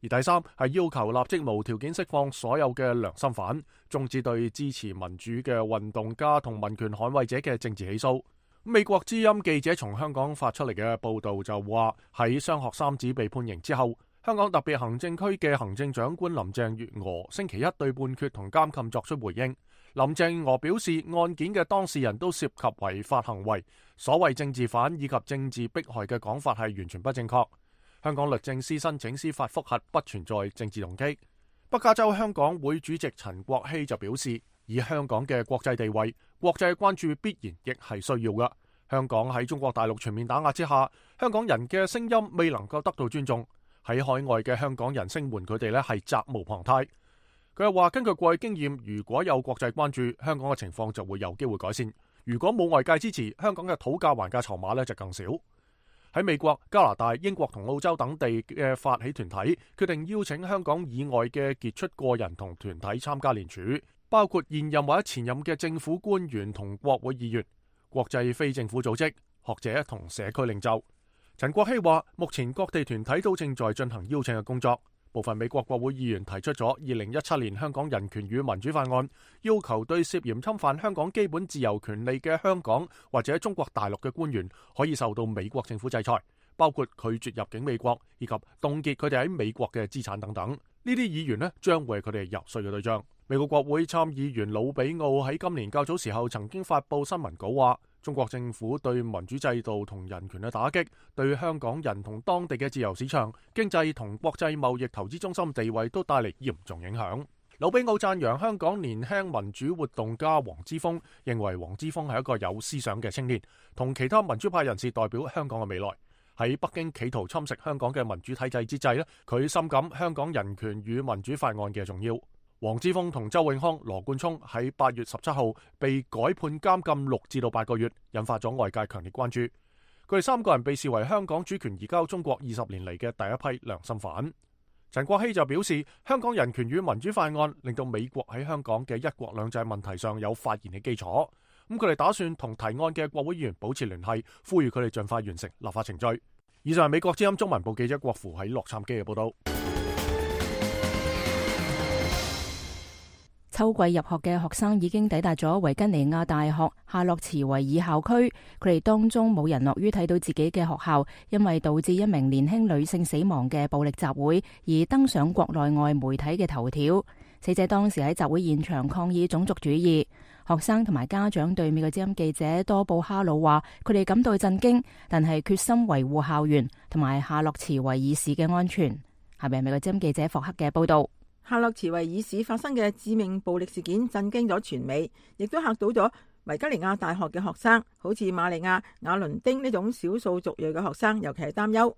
而第三係要求立即無條件釋放所有嘅良心犯，終止對支持民主嘅運動家同民權捍衛者嘅政治起訴。美國之音記者從香港發出嚟嘅報道就話，喺雙學三子被判刑之後，香港特別行政區嘅行政長官林鄭月娥星期一對判決同監禁作出回應。林鄭月娥表示，案件嘅當事人都涉及違法行為，所謂政治犯以及政治迫害嘅講法係完全不正確。香港律政司申請司法覆核不存在政治動機。北加州香港會主席陳國希就表示，以香港嘅國際地位，國際關注必然亦係需要嘅。香港喺中國大陸全面打壓之下，香港人嘅聲音未能夠得到尊重。喺海外嘅香港人聲援佢哋呢係責無旁貸。佢又話，根據過去經驗，如果有國際關注，香港嘅情況就會有機會改善。如果冇外界支持，香港嘅討價還價籌碼呢就更少。喺美國、加拿大、英國同澳洲等地嘅發起團體決定邀請香港以外嘅傑出個人同團體參加聯署，包括現任或者前任嘅政府官員同國會議員、國際非政府組織、學者同社區領袖。陳國希話，目前各地團體都正在進行邀請嘅工作。部分美國國會議員提出咗二零一七年香港人權與民主法案，要求對涉嫌侵犯香港基本自由權利嘅香港或者中國大陸嘅官員可以受到美國政府制裁，包括拒絕入境美國以及凍結佢哋喺美國嘅資產等等。呢啲議員呢將會係佢哋遊說嘅對象。美國國會參議員魯比奧喺今年較早時候曾經發佈新聞稿話，中國政府對民主制度同人權嘅打擊，對香港人同當地嘅自由市場、經濟同國際貿易投資中心地位都帶嚟嚴重影響。魯比奧讚揚香港年輕民主活動家黃之鋒，認為黃之鋒係一個有思想嘅青年，同其他民主派人士代表香港嘅未來。喺北京企圖侵蝕香港嘅民主體制之際，佢深感香港人權與民主法案嘅重要。黃之鋒同周永康、羅冠聰喺八月十七號被改判監禁六至到八個月，引發咗外界強烈關注。佢哋三個人被視為香港主權移交中國二十年嚟嘅第一批良心犯。陳國希就表示，香港人權與民主法案令到美國喺香港嘅一國兩制問題上有發言嘅基礎。咁佢哋打算同提案嘅國會議員保持聯繫，呼籲佢哋盡快完成立法程序。以上係美國之音中文部記者郭芙喺洛杉磯嘅報道。秋季入學嘅學生已經抵達咗維吉尼亞大學夏洛茨維爾校區，佢哋當中冇人樂於睇到自己嘅學校因為導致一名年輕女性死亡嘅暴力集會而登上國內外媒體嘅頭條。死者當時喺集會現場抗議種族主義。學生同埋家長對美國之音記者多布哈魯話，佢哋感到震驚，但係決心維護校園同埋夏洛茨維爾市嘅安全。下面係美國之音記者霍克嘅報道。夏洛茨維爾市發生嘅致命暴力事件震驚咗全美，亦都嚇到咗維吉尼亞大學嘅學生，好似瑪利亞、亞倫丁呢種少數族裔嘅學生，尤其係擔憂。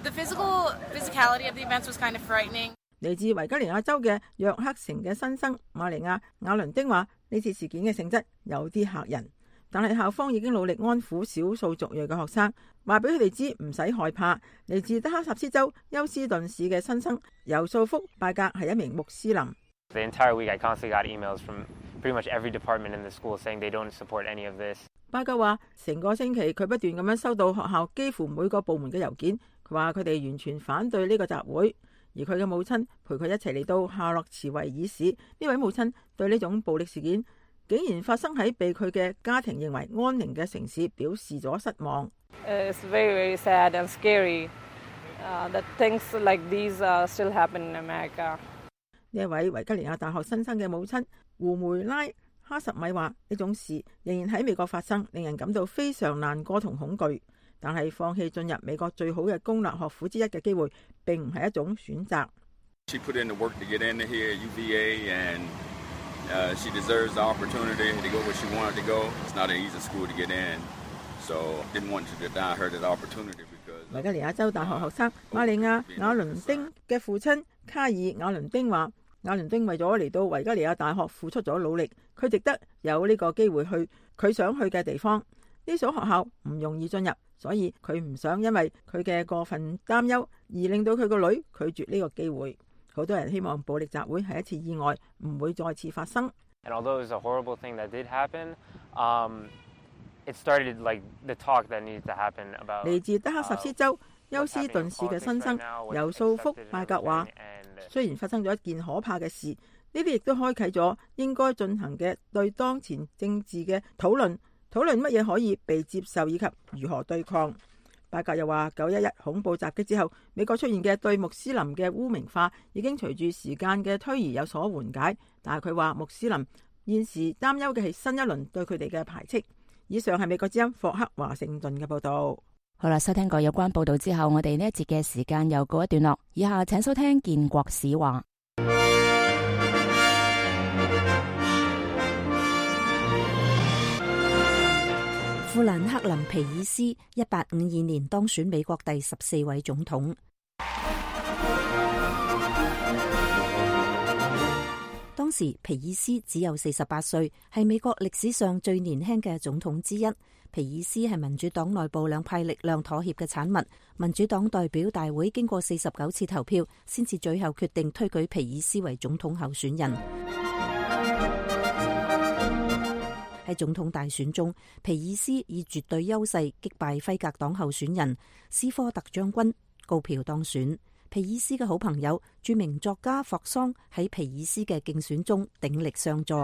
The physical physicality of the events was kind of frightening. 嚟自維吉尼亞州嘅約克城嘅新生瑪利亞亞倫丁話：呢次事件嘅性質有啲嚇人，但係校方已經努力安撫少數族裔嘅學生，話俾佢哋知唔使害怕。嚟自德克薩斯州休斯頓市嘅新生尤素福拜格係一名穆斯林。The entire week I constantly got emails from pretty much every department in the school saying they don't support any of this. 拜格話：成個星期佢不斷咁樣收到學校幾乎每個部門嘅郵件，佢話佢哋完全反對呢個集會。而佢嘅母親陪佢一齊嚟到夏洛茨維爾市，呢位母親對呢種暴力事件竟然發生喺被佢嘅家庭認為安寧嘅城市表示咗失望。It's very, very sad and scary that things like these still happen in America. 呢一位維吉尼亞大學新生嘅母親胡梅拉哈什米話：呢種事仍然喺美國發生，令人感到非常難過同恐懼。但係放棄進入美國最好嘅公立學府之一嘅機會，並唔係一種選擇。She put in the work to get into here at U V A, and uh, she deserves the opportunity to go where she wanted to go. It's not an easy school to get in, so didn't want to deny her that opportunity because. 維吉尼亞州大學學生瑪利亞亞倫丁嘅父親卡爾亞倫丁話：亞倫丁為咗嚟到維吉尼亞大學付出咗努力，佢值得有呢個機會去佢想去嘅地方。呢所學校唔容易進入，所以佢唔想因為佢嘅過分擔憂而令到佢個女拒絕呢個機會。好多人希望暴力集會係一次意外，唔會再次發生。And although it was a horrible thing that did happen, um, it started like the talk that needs to happen about. 嚟自德克薩斯州休斯頓市嘅新生尤素福拜格話：雖然發生咗一件可怕嘅事，呢啲亦都開啟咗應該進行嘅對當前政治嘅討論。討論乜嘢可以被接受以及如何對抗。拜格又話：九一一恐怖襲擊之後，美國出現嘅對穆斯林嘅污名化已經隨住時間嘅推移有所緩解，但係佢話穆斯林現時擔憂嘅係新一輪對佢哋嘅排斥。以上係美國之音霍克華盛頓嘅報道。好啦，收聽過有關報道之後，我哋呢一節嘅時間又告一段落。以下請收聽建國史話。富蘭克林皮爾斯一八五二年當選美國第十四位總統。當時皮爾斯只有四十八歲，係美國歷史上最年輕嘅總統之一。皮爾斯係民主黨內部兩派力量妥協嘅產物。民主黨代表大會經過四十九次投票，先至最後決定推舉皮爾斯為總統候選人。喺總統大選中，皮爾斯以絕對優勢擊敗輝格黨候選人斯科特將軍，高票當選。皮爾斯嘅好朋友著名作家霍桑喺皮爾斯嘅競選中鼎力相助。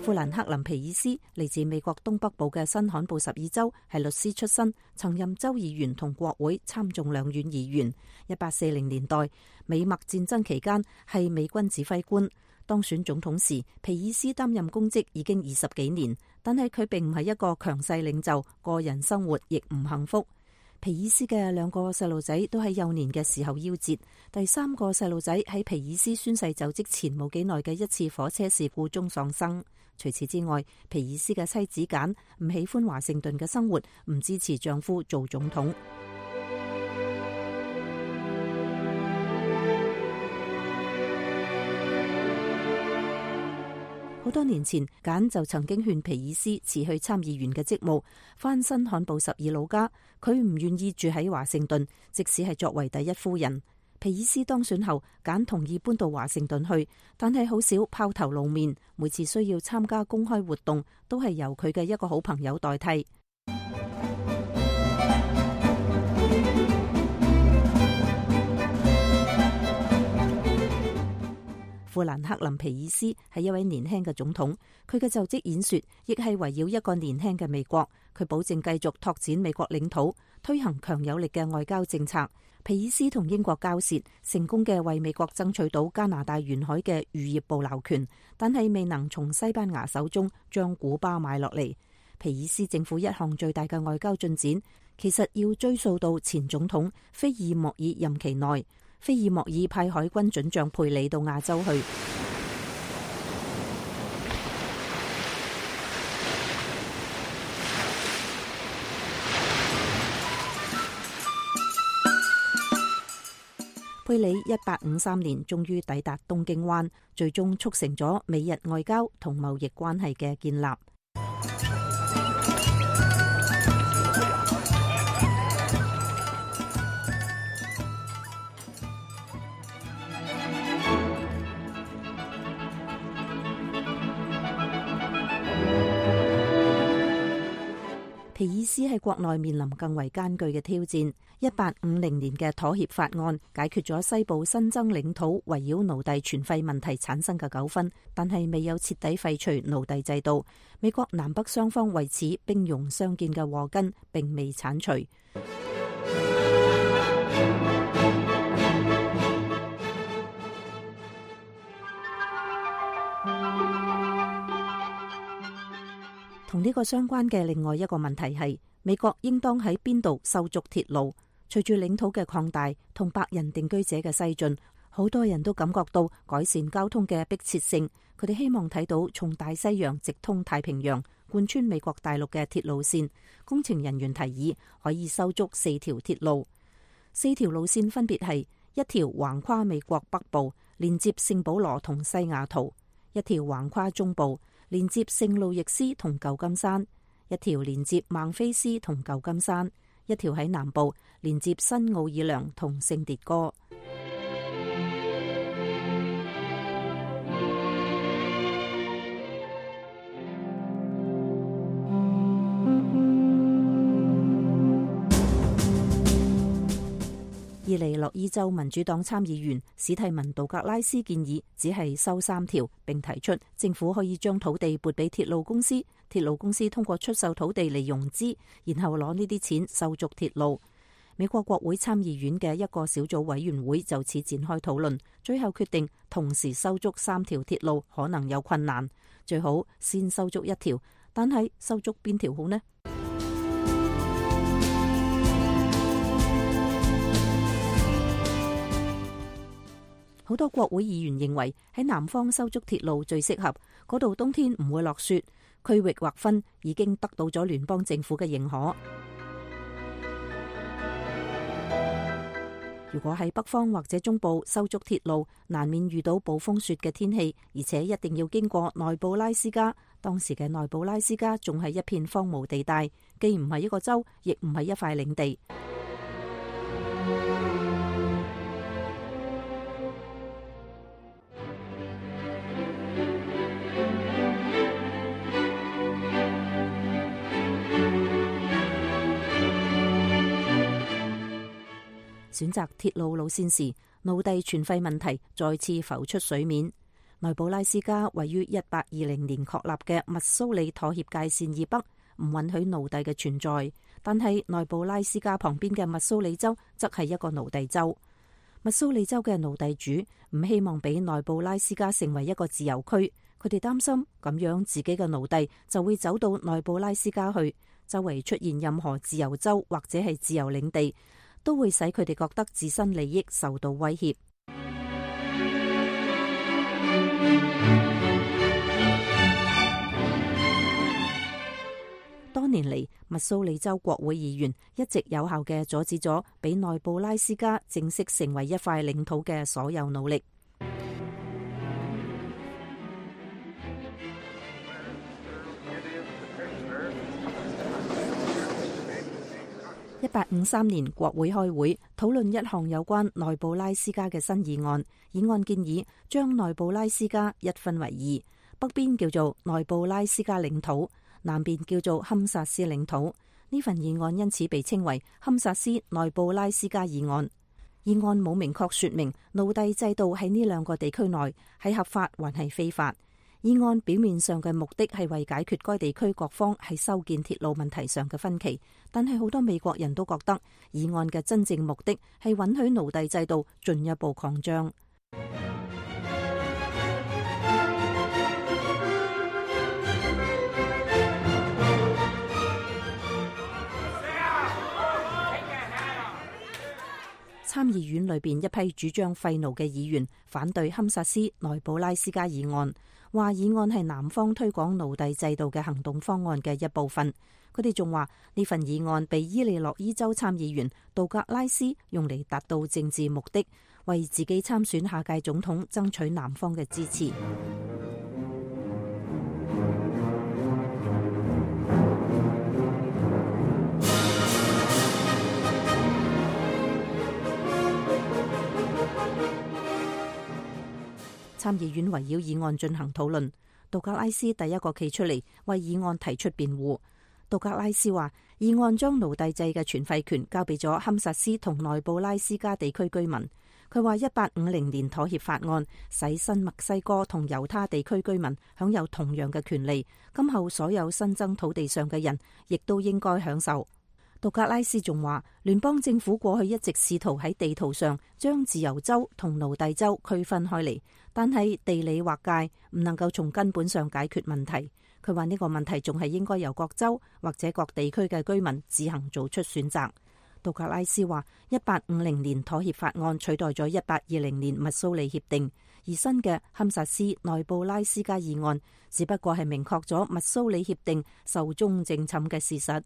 富蘭克林皮爾斯嚟自美國東北部嘅新罕布什爾州，係律師出身，曾任州議員同國會參眾兩院議員。一八四零年代美墨戰爭期間係美軍指揮官。當選總統時，皮爾斯擔任公職已經二十幾年，但係佢並唔係一個強勢領袖，個人生活亦唔幸福。皮爾斯嘅兩個細路仔都喺幼年嘅時候夭折，第三個細路仔喺皮爾斯宣誓就職前冇幾耐嘅一次火車事故中喪生。除此之外，皮爾斯嘅妻子簡唔喜歡華盛頓嘅生活，唔支持丈夫做總統。好多年前，簡就曾經勸皮爾斯辭去參議員嘅職務，返新罕布什爾老家。佢唔願意住喺華盛頓，即使係作為第一夫人。皮爾斯當選後，簡同意搬到華盛頓去，但係好少拋頭露面。每次需要參加公開活動，都係由佢嘅一個好朋友代替。富蘭克林皮爾斯係一位年輕嘅總統，佢嘅就職演說亦係圍繞一個年輕嘅美國。佢保證繼續拓展美國領土，推行強有力嘅外交政策。皮爾斯同英國交涉，成功嘅為美國爭取到加拿大沿海嘅漁業捕撈權，但係未能從西班牙手中將古巴買落嚟。皮爾斯政府一項最大嘅外交進展，其實要追溯到前總統菲爾莫爾任期內。菲爾莫爾派海軍准將佩里到亞洲去。佩里一八五三年終於抵達東京灣，最終促成咗美日外交同貿易關係嘅建立。皮爾斯喺國內面臨更為艱巨嘅挑戰。一八五零年嘅妥協法案解決咗西部新增領土圍繞奴隸存廢問題產生嘅糾紛，但係未有徹底廢除奴隸制度。美國南北雙方為此兵戎相見嘅禍根並未剷除。同呢個相關嘅另外一個問題係，美國應當喺邊度修築鐵路？隨住領土嘅擴大同白人定居者嘅西進，好多人都感覺到改善交通嘅迫切性。佢哋希望睇到從大西洋直通太平洋、貫穿美國大陸嘅鐵路線。工程人員提議可以修築四條鐵路，四條路線分別係一條橫跨美國北部，連接聖保羅同西雅圖；一條橫跨中部，連接聖路易斯同舊金山；一條連接孟菲斯同舊金山；一條喺南部，連接新奧爾良同聖迭戈。伊利諾伊州民主黨參議員史蒂文杜格拉斯建議只係修三條，並提出政府可以將土地撥俾鐵路公司，鐵路公司通過出售土地嚟融資，然後攞呢啲錢修築鐵路。美國國會參議院嘅一個小組委員會就此展開討論，最後決定同時修築三條鐵路可能有困難，最好先修築一條，但係修築邊條好呢？好多國會議員認為喺南方修築鐵路最適合，嗰度冬天唔會落雪。區域劃分已經得到咗聯邦政府嘅認可。如果喺北方或者中部修築鐵路，難免遇到暴風雪嘅天氣，而且一定要經過內布拉斯加。當時嘅內布拉斯加仲係一片荒蕪地帶，既唔係一個州，亦唔係一塊領地。選擇鐵路路線時，奴隸存廢問題再次浮出水面。內布拉斯加位於一八二零年確立嘅密蘇里妥協界線以北，唔允許奴隸嘅存在。但係內布拉斯加旁邊嘅密蘇里州則係一個奴隸州。密蘇里州嘅奴隸主唔希望俾內布拉斯加成為一個自由區，佢哋擔心咁樣自己嘅奴隸就會走到內布拉斯加去，周圍出現任何自由州或者係自由領地，都會使佢哋覺得自身利益受到威脅。多年嚟，密蘇里州國會議員一直有效嘅阻止咗俾內布拉斯加正式成為一塊領土嘅所有努力。一八五三年，國會開會討論一項有關內布拉斯加嘅新議案。議案建議將內布拉斯加一分為二，北邊叫做內布拉斯加領土，南邊叫做堪薩斯領土。呢份議案因此被稱為堪薩斯內布拉斯加議案。議案冇明確說明奴隸制度喺呢兩個地區內係合法還係非法。議案表面上嘅目的係為解決該地區各方喺修建鐵路問題上嘅分歧，但係好多美國人都覺得議案嘅真正目的係允許奴隸制度進一步擴張。參議院裏邊一批主張廢奴嘅議員反對堪薩斯內布拉斯加議案，話議案係南方推廣奴隸制度嘅行動方案嘅一部分。佢哋仲話呢份議案被伊利諾伊州參議員杜格拉斯用嚟達到政治目的，為自己參選下屆總統爭取南方嘅支持。參議院圍繞議案進行討論，杜格拉斯第一個企出嚟為議案提出辯護。杜格拉斯話，議案將奴隸制嘅全廢權交俾咗堪薩斯同內布拉斯加地區居民。佢話一八五零年妥協法案使新墨西哥同猶他地區居民享有同樣嘅權利，今後所有新增土地上嘅人亦都應該享受。杜格拉斯仲話，聯邦政府過去一直試圖喺地圖上將自由州同奴隸州區分開嚟，但係地理劃界唔能夠從根本上解決問題。佢話呢個問題仲係應該由各州或者各地區嘅居民自行做出選擇。杜格拉斯話，一八五零年妥協法案取代咗一八二零年密蘇里協定，而新嘅堪薩斯內布拉斯加議案只不過係明確咗密蘇里協定壽終正寢嘅事實。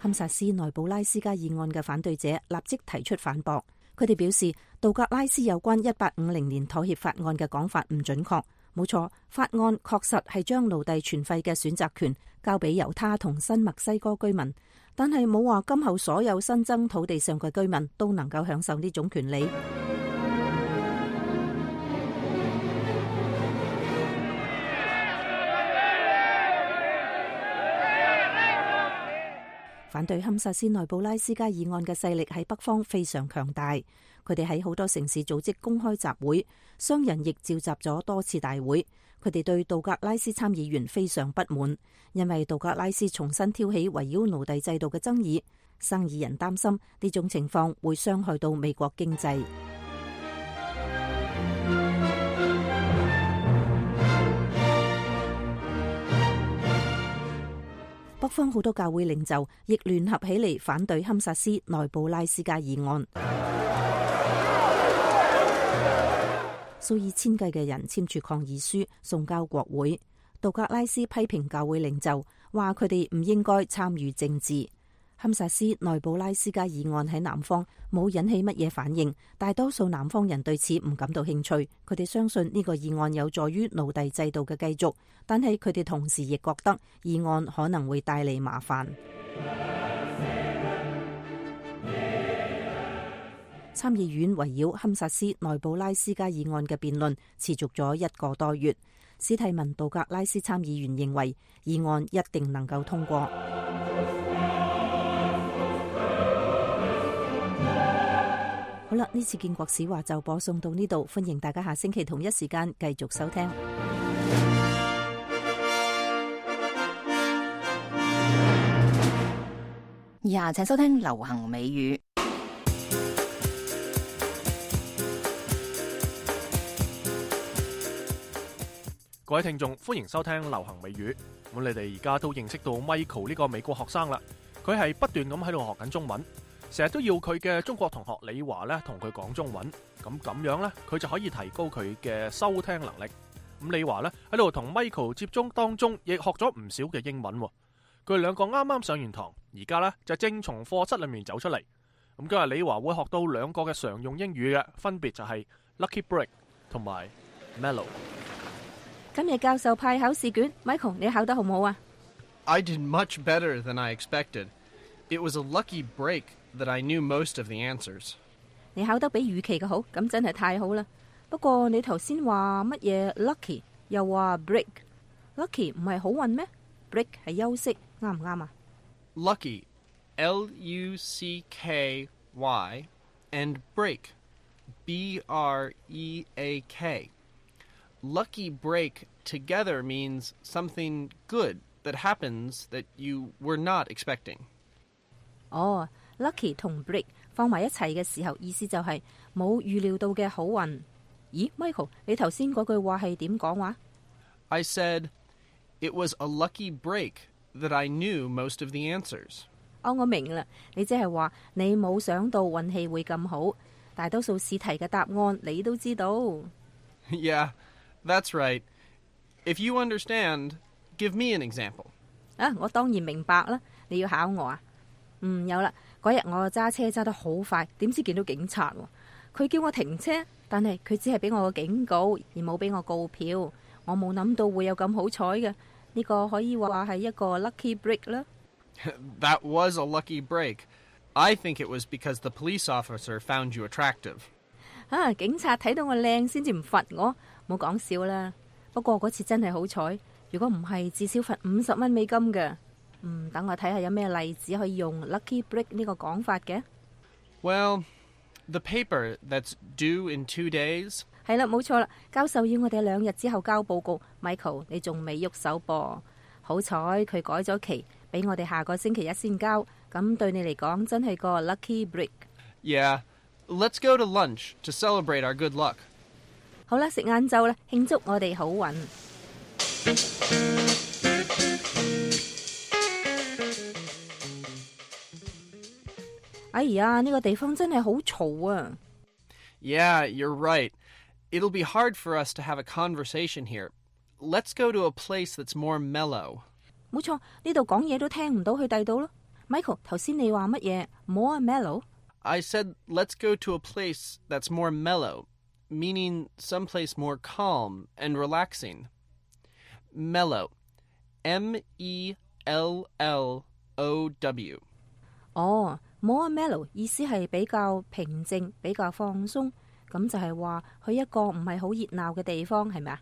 堪薩斯內布拉斯加議案嘅反對者立即提出反駁，佢哋表示杜格拉斯有關一八五零年妥協法案嘅講法唔準確。冇錯，法案確實係將奴隸全廢嘅選擇權交俾猶他同新墨西哥居民，但係冇話今後所有新增土地上嘅居民都能夠享受呢種權利。反對堪薩斯內布拉斯加議案嘅勢力喺北方非常強大，佢哋喺好多城市組織公開集會，商人亦召集咗多次大會。佢哋對杜格拉斯參議員非常不滿，因為杜格拉斯重新挑起圍繞奴隸制度嘅爭議，生意人擔心呢種情況會傷害到美國經濟。北方好多教會領袖亦聯合起嚟反對堪薩斯內布拉斯加議案，數以千計嘅人簽署抗議書送交國會。杜格拉斯批評教會領袖，話佢哋唔應該參與政治。堪薩斯內布拉斯加議案喺南方冇引起乜嘢反應，大多數南方人對此唔感到興趣。佢哋相信呢個議案有助於奴隸制度嘅繼續，但係佢哋同時亦覺得議案可能會帶嚟麻煩。參議院圍繞堪薩斯內布拉斯加議案嘅辯論持續咗一個多月。史蒂文杜格拉斯參議員認為議案一定能夠通過。好啦，呢次建國史話就播送到呢度，歡迎大家下星期同一時間繼續收聽。以下請收聽流行美語。各位聽眾，歡迎收聽流行美語。咁你哋而家都認識到 Michael 呢個美國學生啦，佢係不斷咁喺度學緊中文。成日都要佢嘅中國同學李華咧同佢講中文，咁咁樣咧佢就可以提高佢嘅收聽能力。咁李華咧喺度同 Michael 接觸當中，亦學咗唔少嘅英文。佢哋兩個啱啱上完堂，而家咧就正從課室裏面走出嚟。咁今日李華會學到兩個嘅常用英語嘅，分別就係 Lucky Break 同埋 Mellow。今日教授派考試卷 ，Michael 你考得好唔好啊？ I did much better than I expected. It was a lucky break that I knew most of the answers. 你考得比預期嘅好，咁真係太好啦。不過你頭先話乜嘢 lucky， 又話 break，lucky 唔係好運咩？ break 係休息，啱唔啱啊？ Lucky, L U C K Y, and break, B R E A K. Lucky break together means something good that happens that you were not expecting. 哦、oh, lucky 同 break 放埋一齊嘅時候，意思就係冇預料到嘅好運。咦 Michael 你頭先嗰句話係點講話？ I said, it was a lucky break that I knew most of the answers. 哦，我明啦，你即係話你冇想到運氣會咁好，大多數試題嘅答案你都知道。Yeah, that's right. If you understand, give me an example. 啊，我當然明白啦，你要考我啊？嗯，有啦，嗰日我揸車揸得好快，點知見到警察喎，佢叫我停車，但係佢只係俾我個警告，而冇俾我告票。我冇諗到會有咁好彩嘅，呢個可以話係一個 lucky break 啦。That was a lucky break. I think it was because the police officer found you attractive. 啊，警察睇到我靚先至唔罰我，冇講笑啦。不過嗰次真係好彩，如果唔係至少罰五十蚊美金嘅。嗯，等我睇下有咩例子可以用 lucky break 呢個講法嘅。Well, the paper that's due in two days. 係啦，冇錯啦，教授要我哋兩日之後交報告。Michael， 你仲未喐手噃？好彩佢改咗期，俾我哋下個星期一先交。咁對你嚟講真係個 lucky break。Yeah, let's go to lunch to celebrate our good luck. 好啦，食晏晝啦，慶祝我哋好運。哎呀，呢個地方真係好嘈啊！ Yeah, you're right. It'll be hard for us to have a conversation here. Let's go to a place that's more mellow. 冇錯，呢度講嘢都聽唔到去第度咯。Michael， 頭先你話乜嘢 ？More mellow? I said let's go to a place that's more mellow, meaning someplace more calm and relaxing. Mellow, M E L L O W. 哦、oh, more mellow 意思係比較平靜、比較放鬆，咁就係話去一個唔係好熱鬧嘅地方，係咪啊？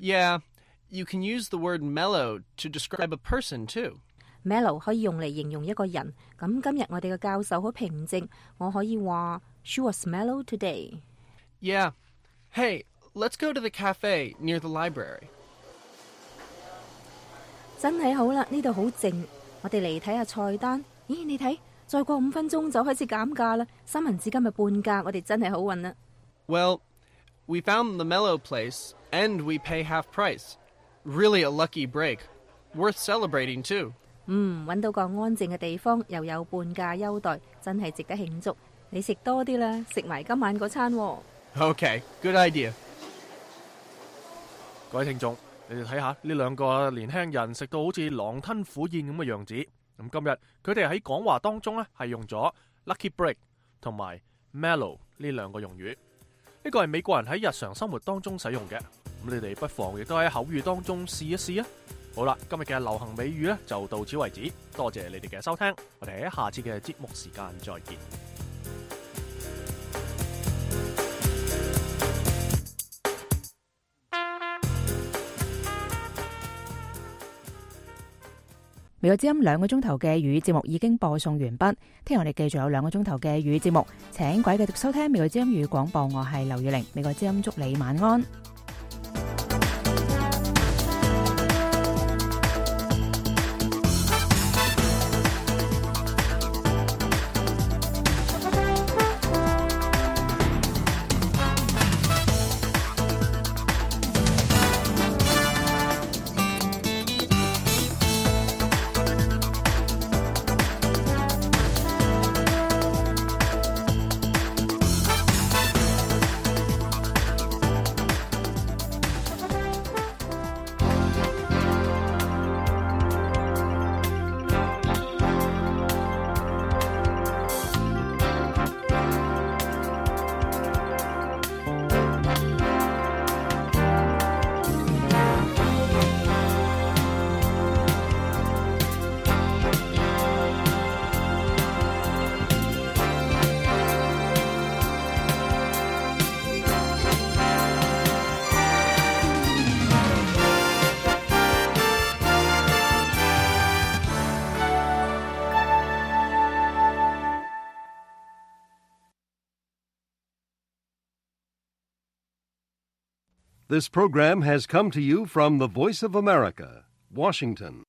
Yeah, you can use the word mellow to describe a person too. Mellow 可以用嚟形容一個人。咁今日我哋嘅教授好平靜，我可以話 She was mellow today. Yeah. Hey, let's go to the cafe near the library. 真係好啦，呢度好靜。我哋嚟睇下菜單。咦，你睇，再過五分鐘就開始減價啦。三文治今日半價，我哋真係好運啦。Well, we found the mellow place and we pay half price. Really a lucky break. Worth celebrating too. 嗯，揾到個安靜嘅地方，又有半價優待，真係值得慶祝。你食多啲啦，食埋今晚嗰餐喎。Okay, good idea. 各位聽眾，你哋睇下呢兩個年輕人食到好似狼吞虎咽咁嘅樣子。咁今日佢哋喺講話當中呢，係用咗 lucky break 同埋 mellow 呢兩個用語。呢個係美國人喺日常生活當中使用嘅。咁你哋不妨亦都喺口語當中試一試啊！好啦，今日嘅流行美語呢就到此為止，多謝你哋嘅收聽，我哋喺下次嘅節目時間再見。美國之音兩個鐘頭嘅粵語節目已經播送完畢，聽日我哋繼續有兩個鐘頭嘅粵語節目，請各位繼續收聽美國之音粵語廣播，我係劉月玲，美國之音祝你晚安。This program has come to you from the Voice of America, Washington.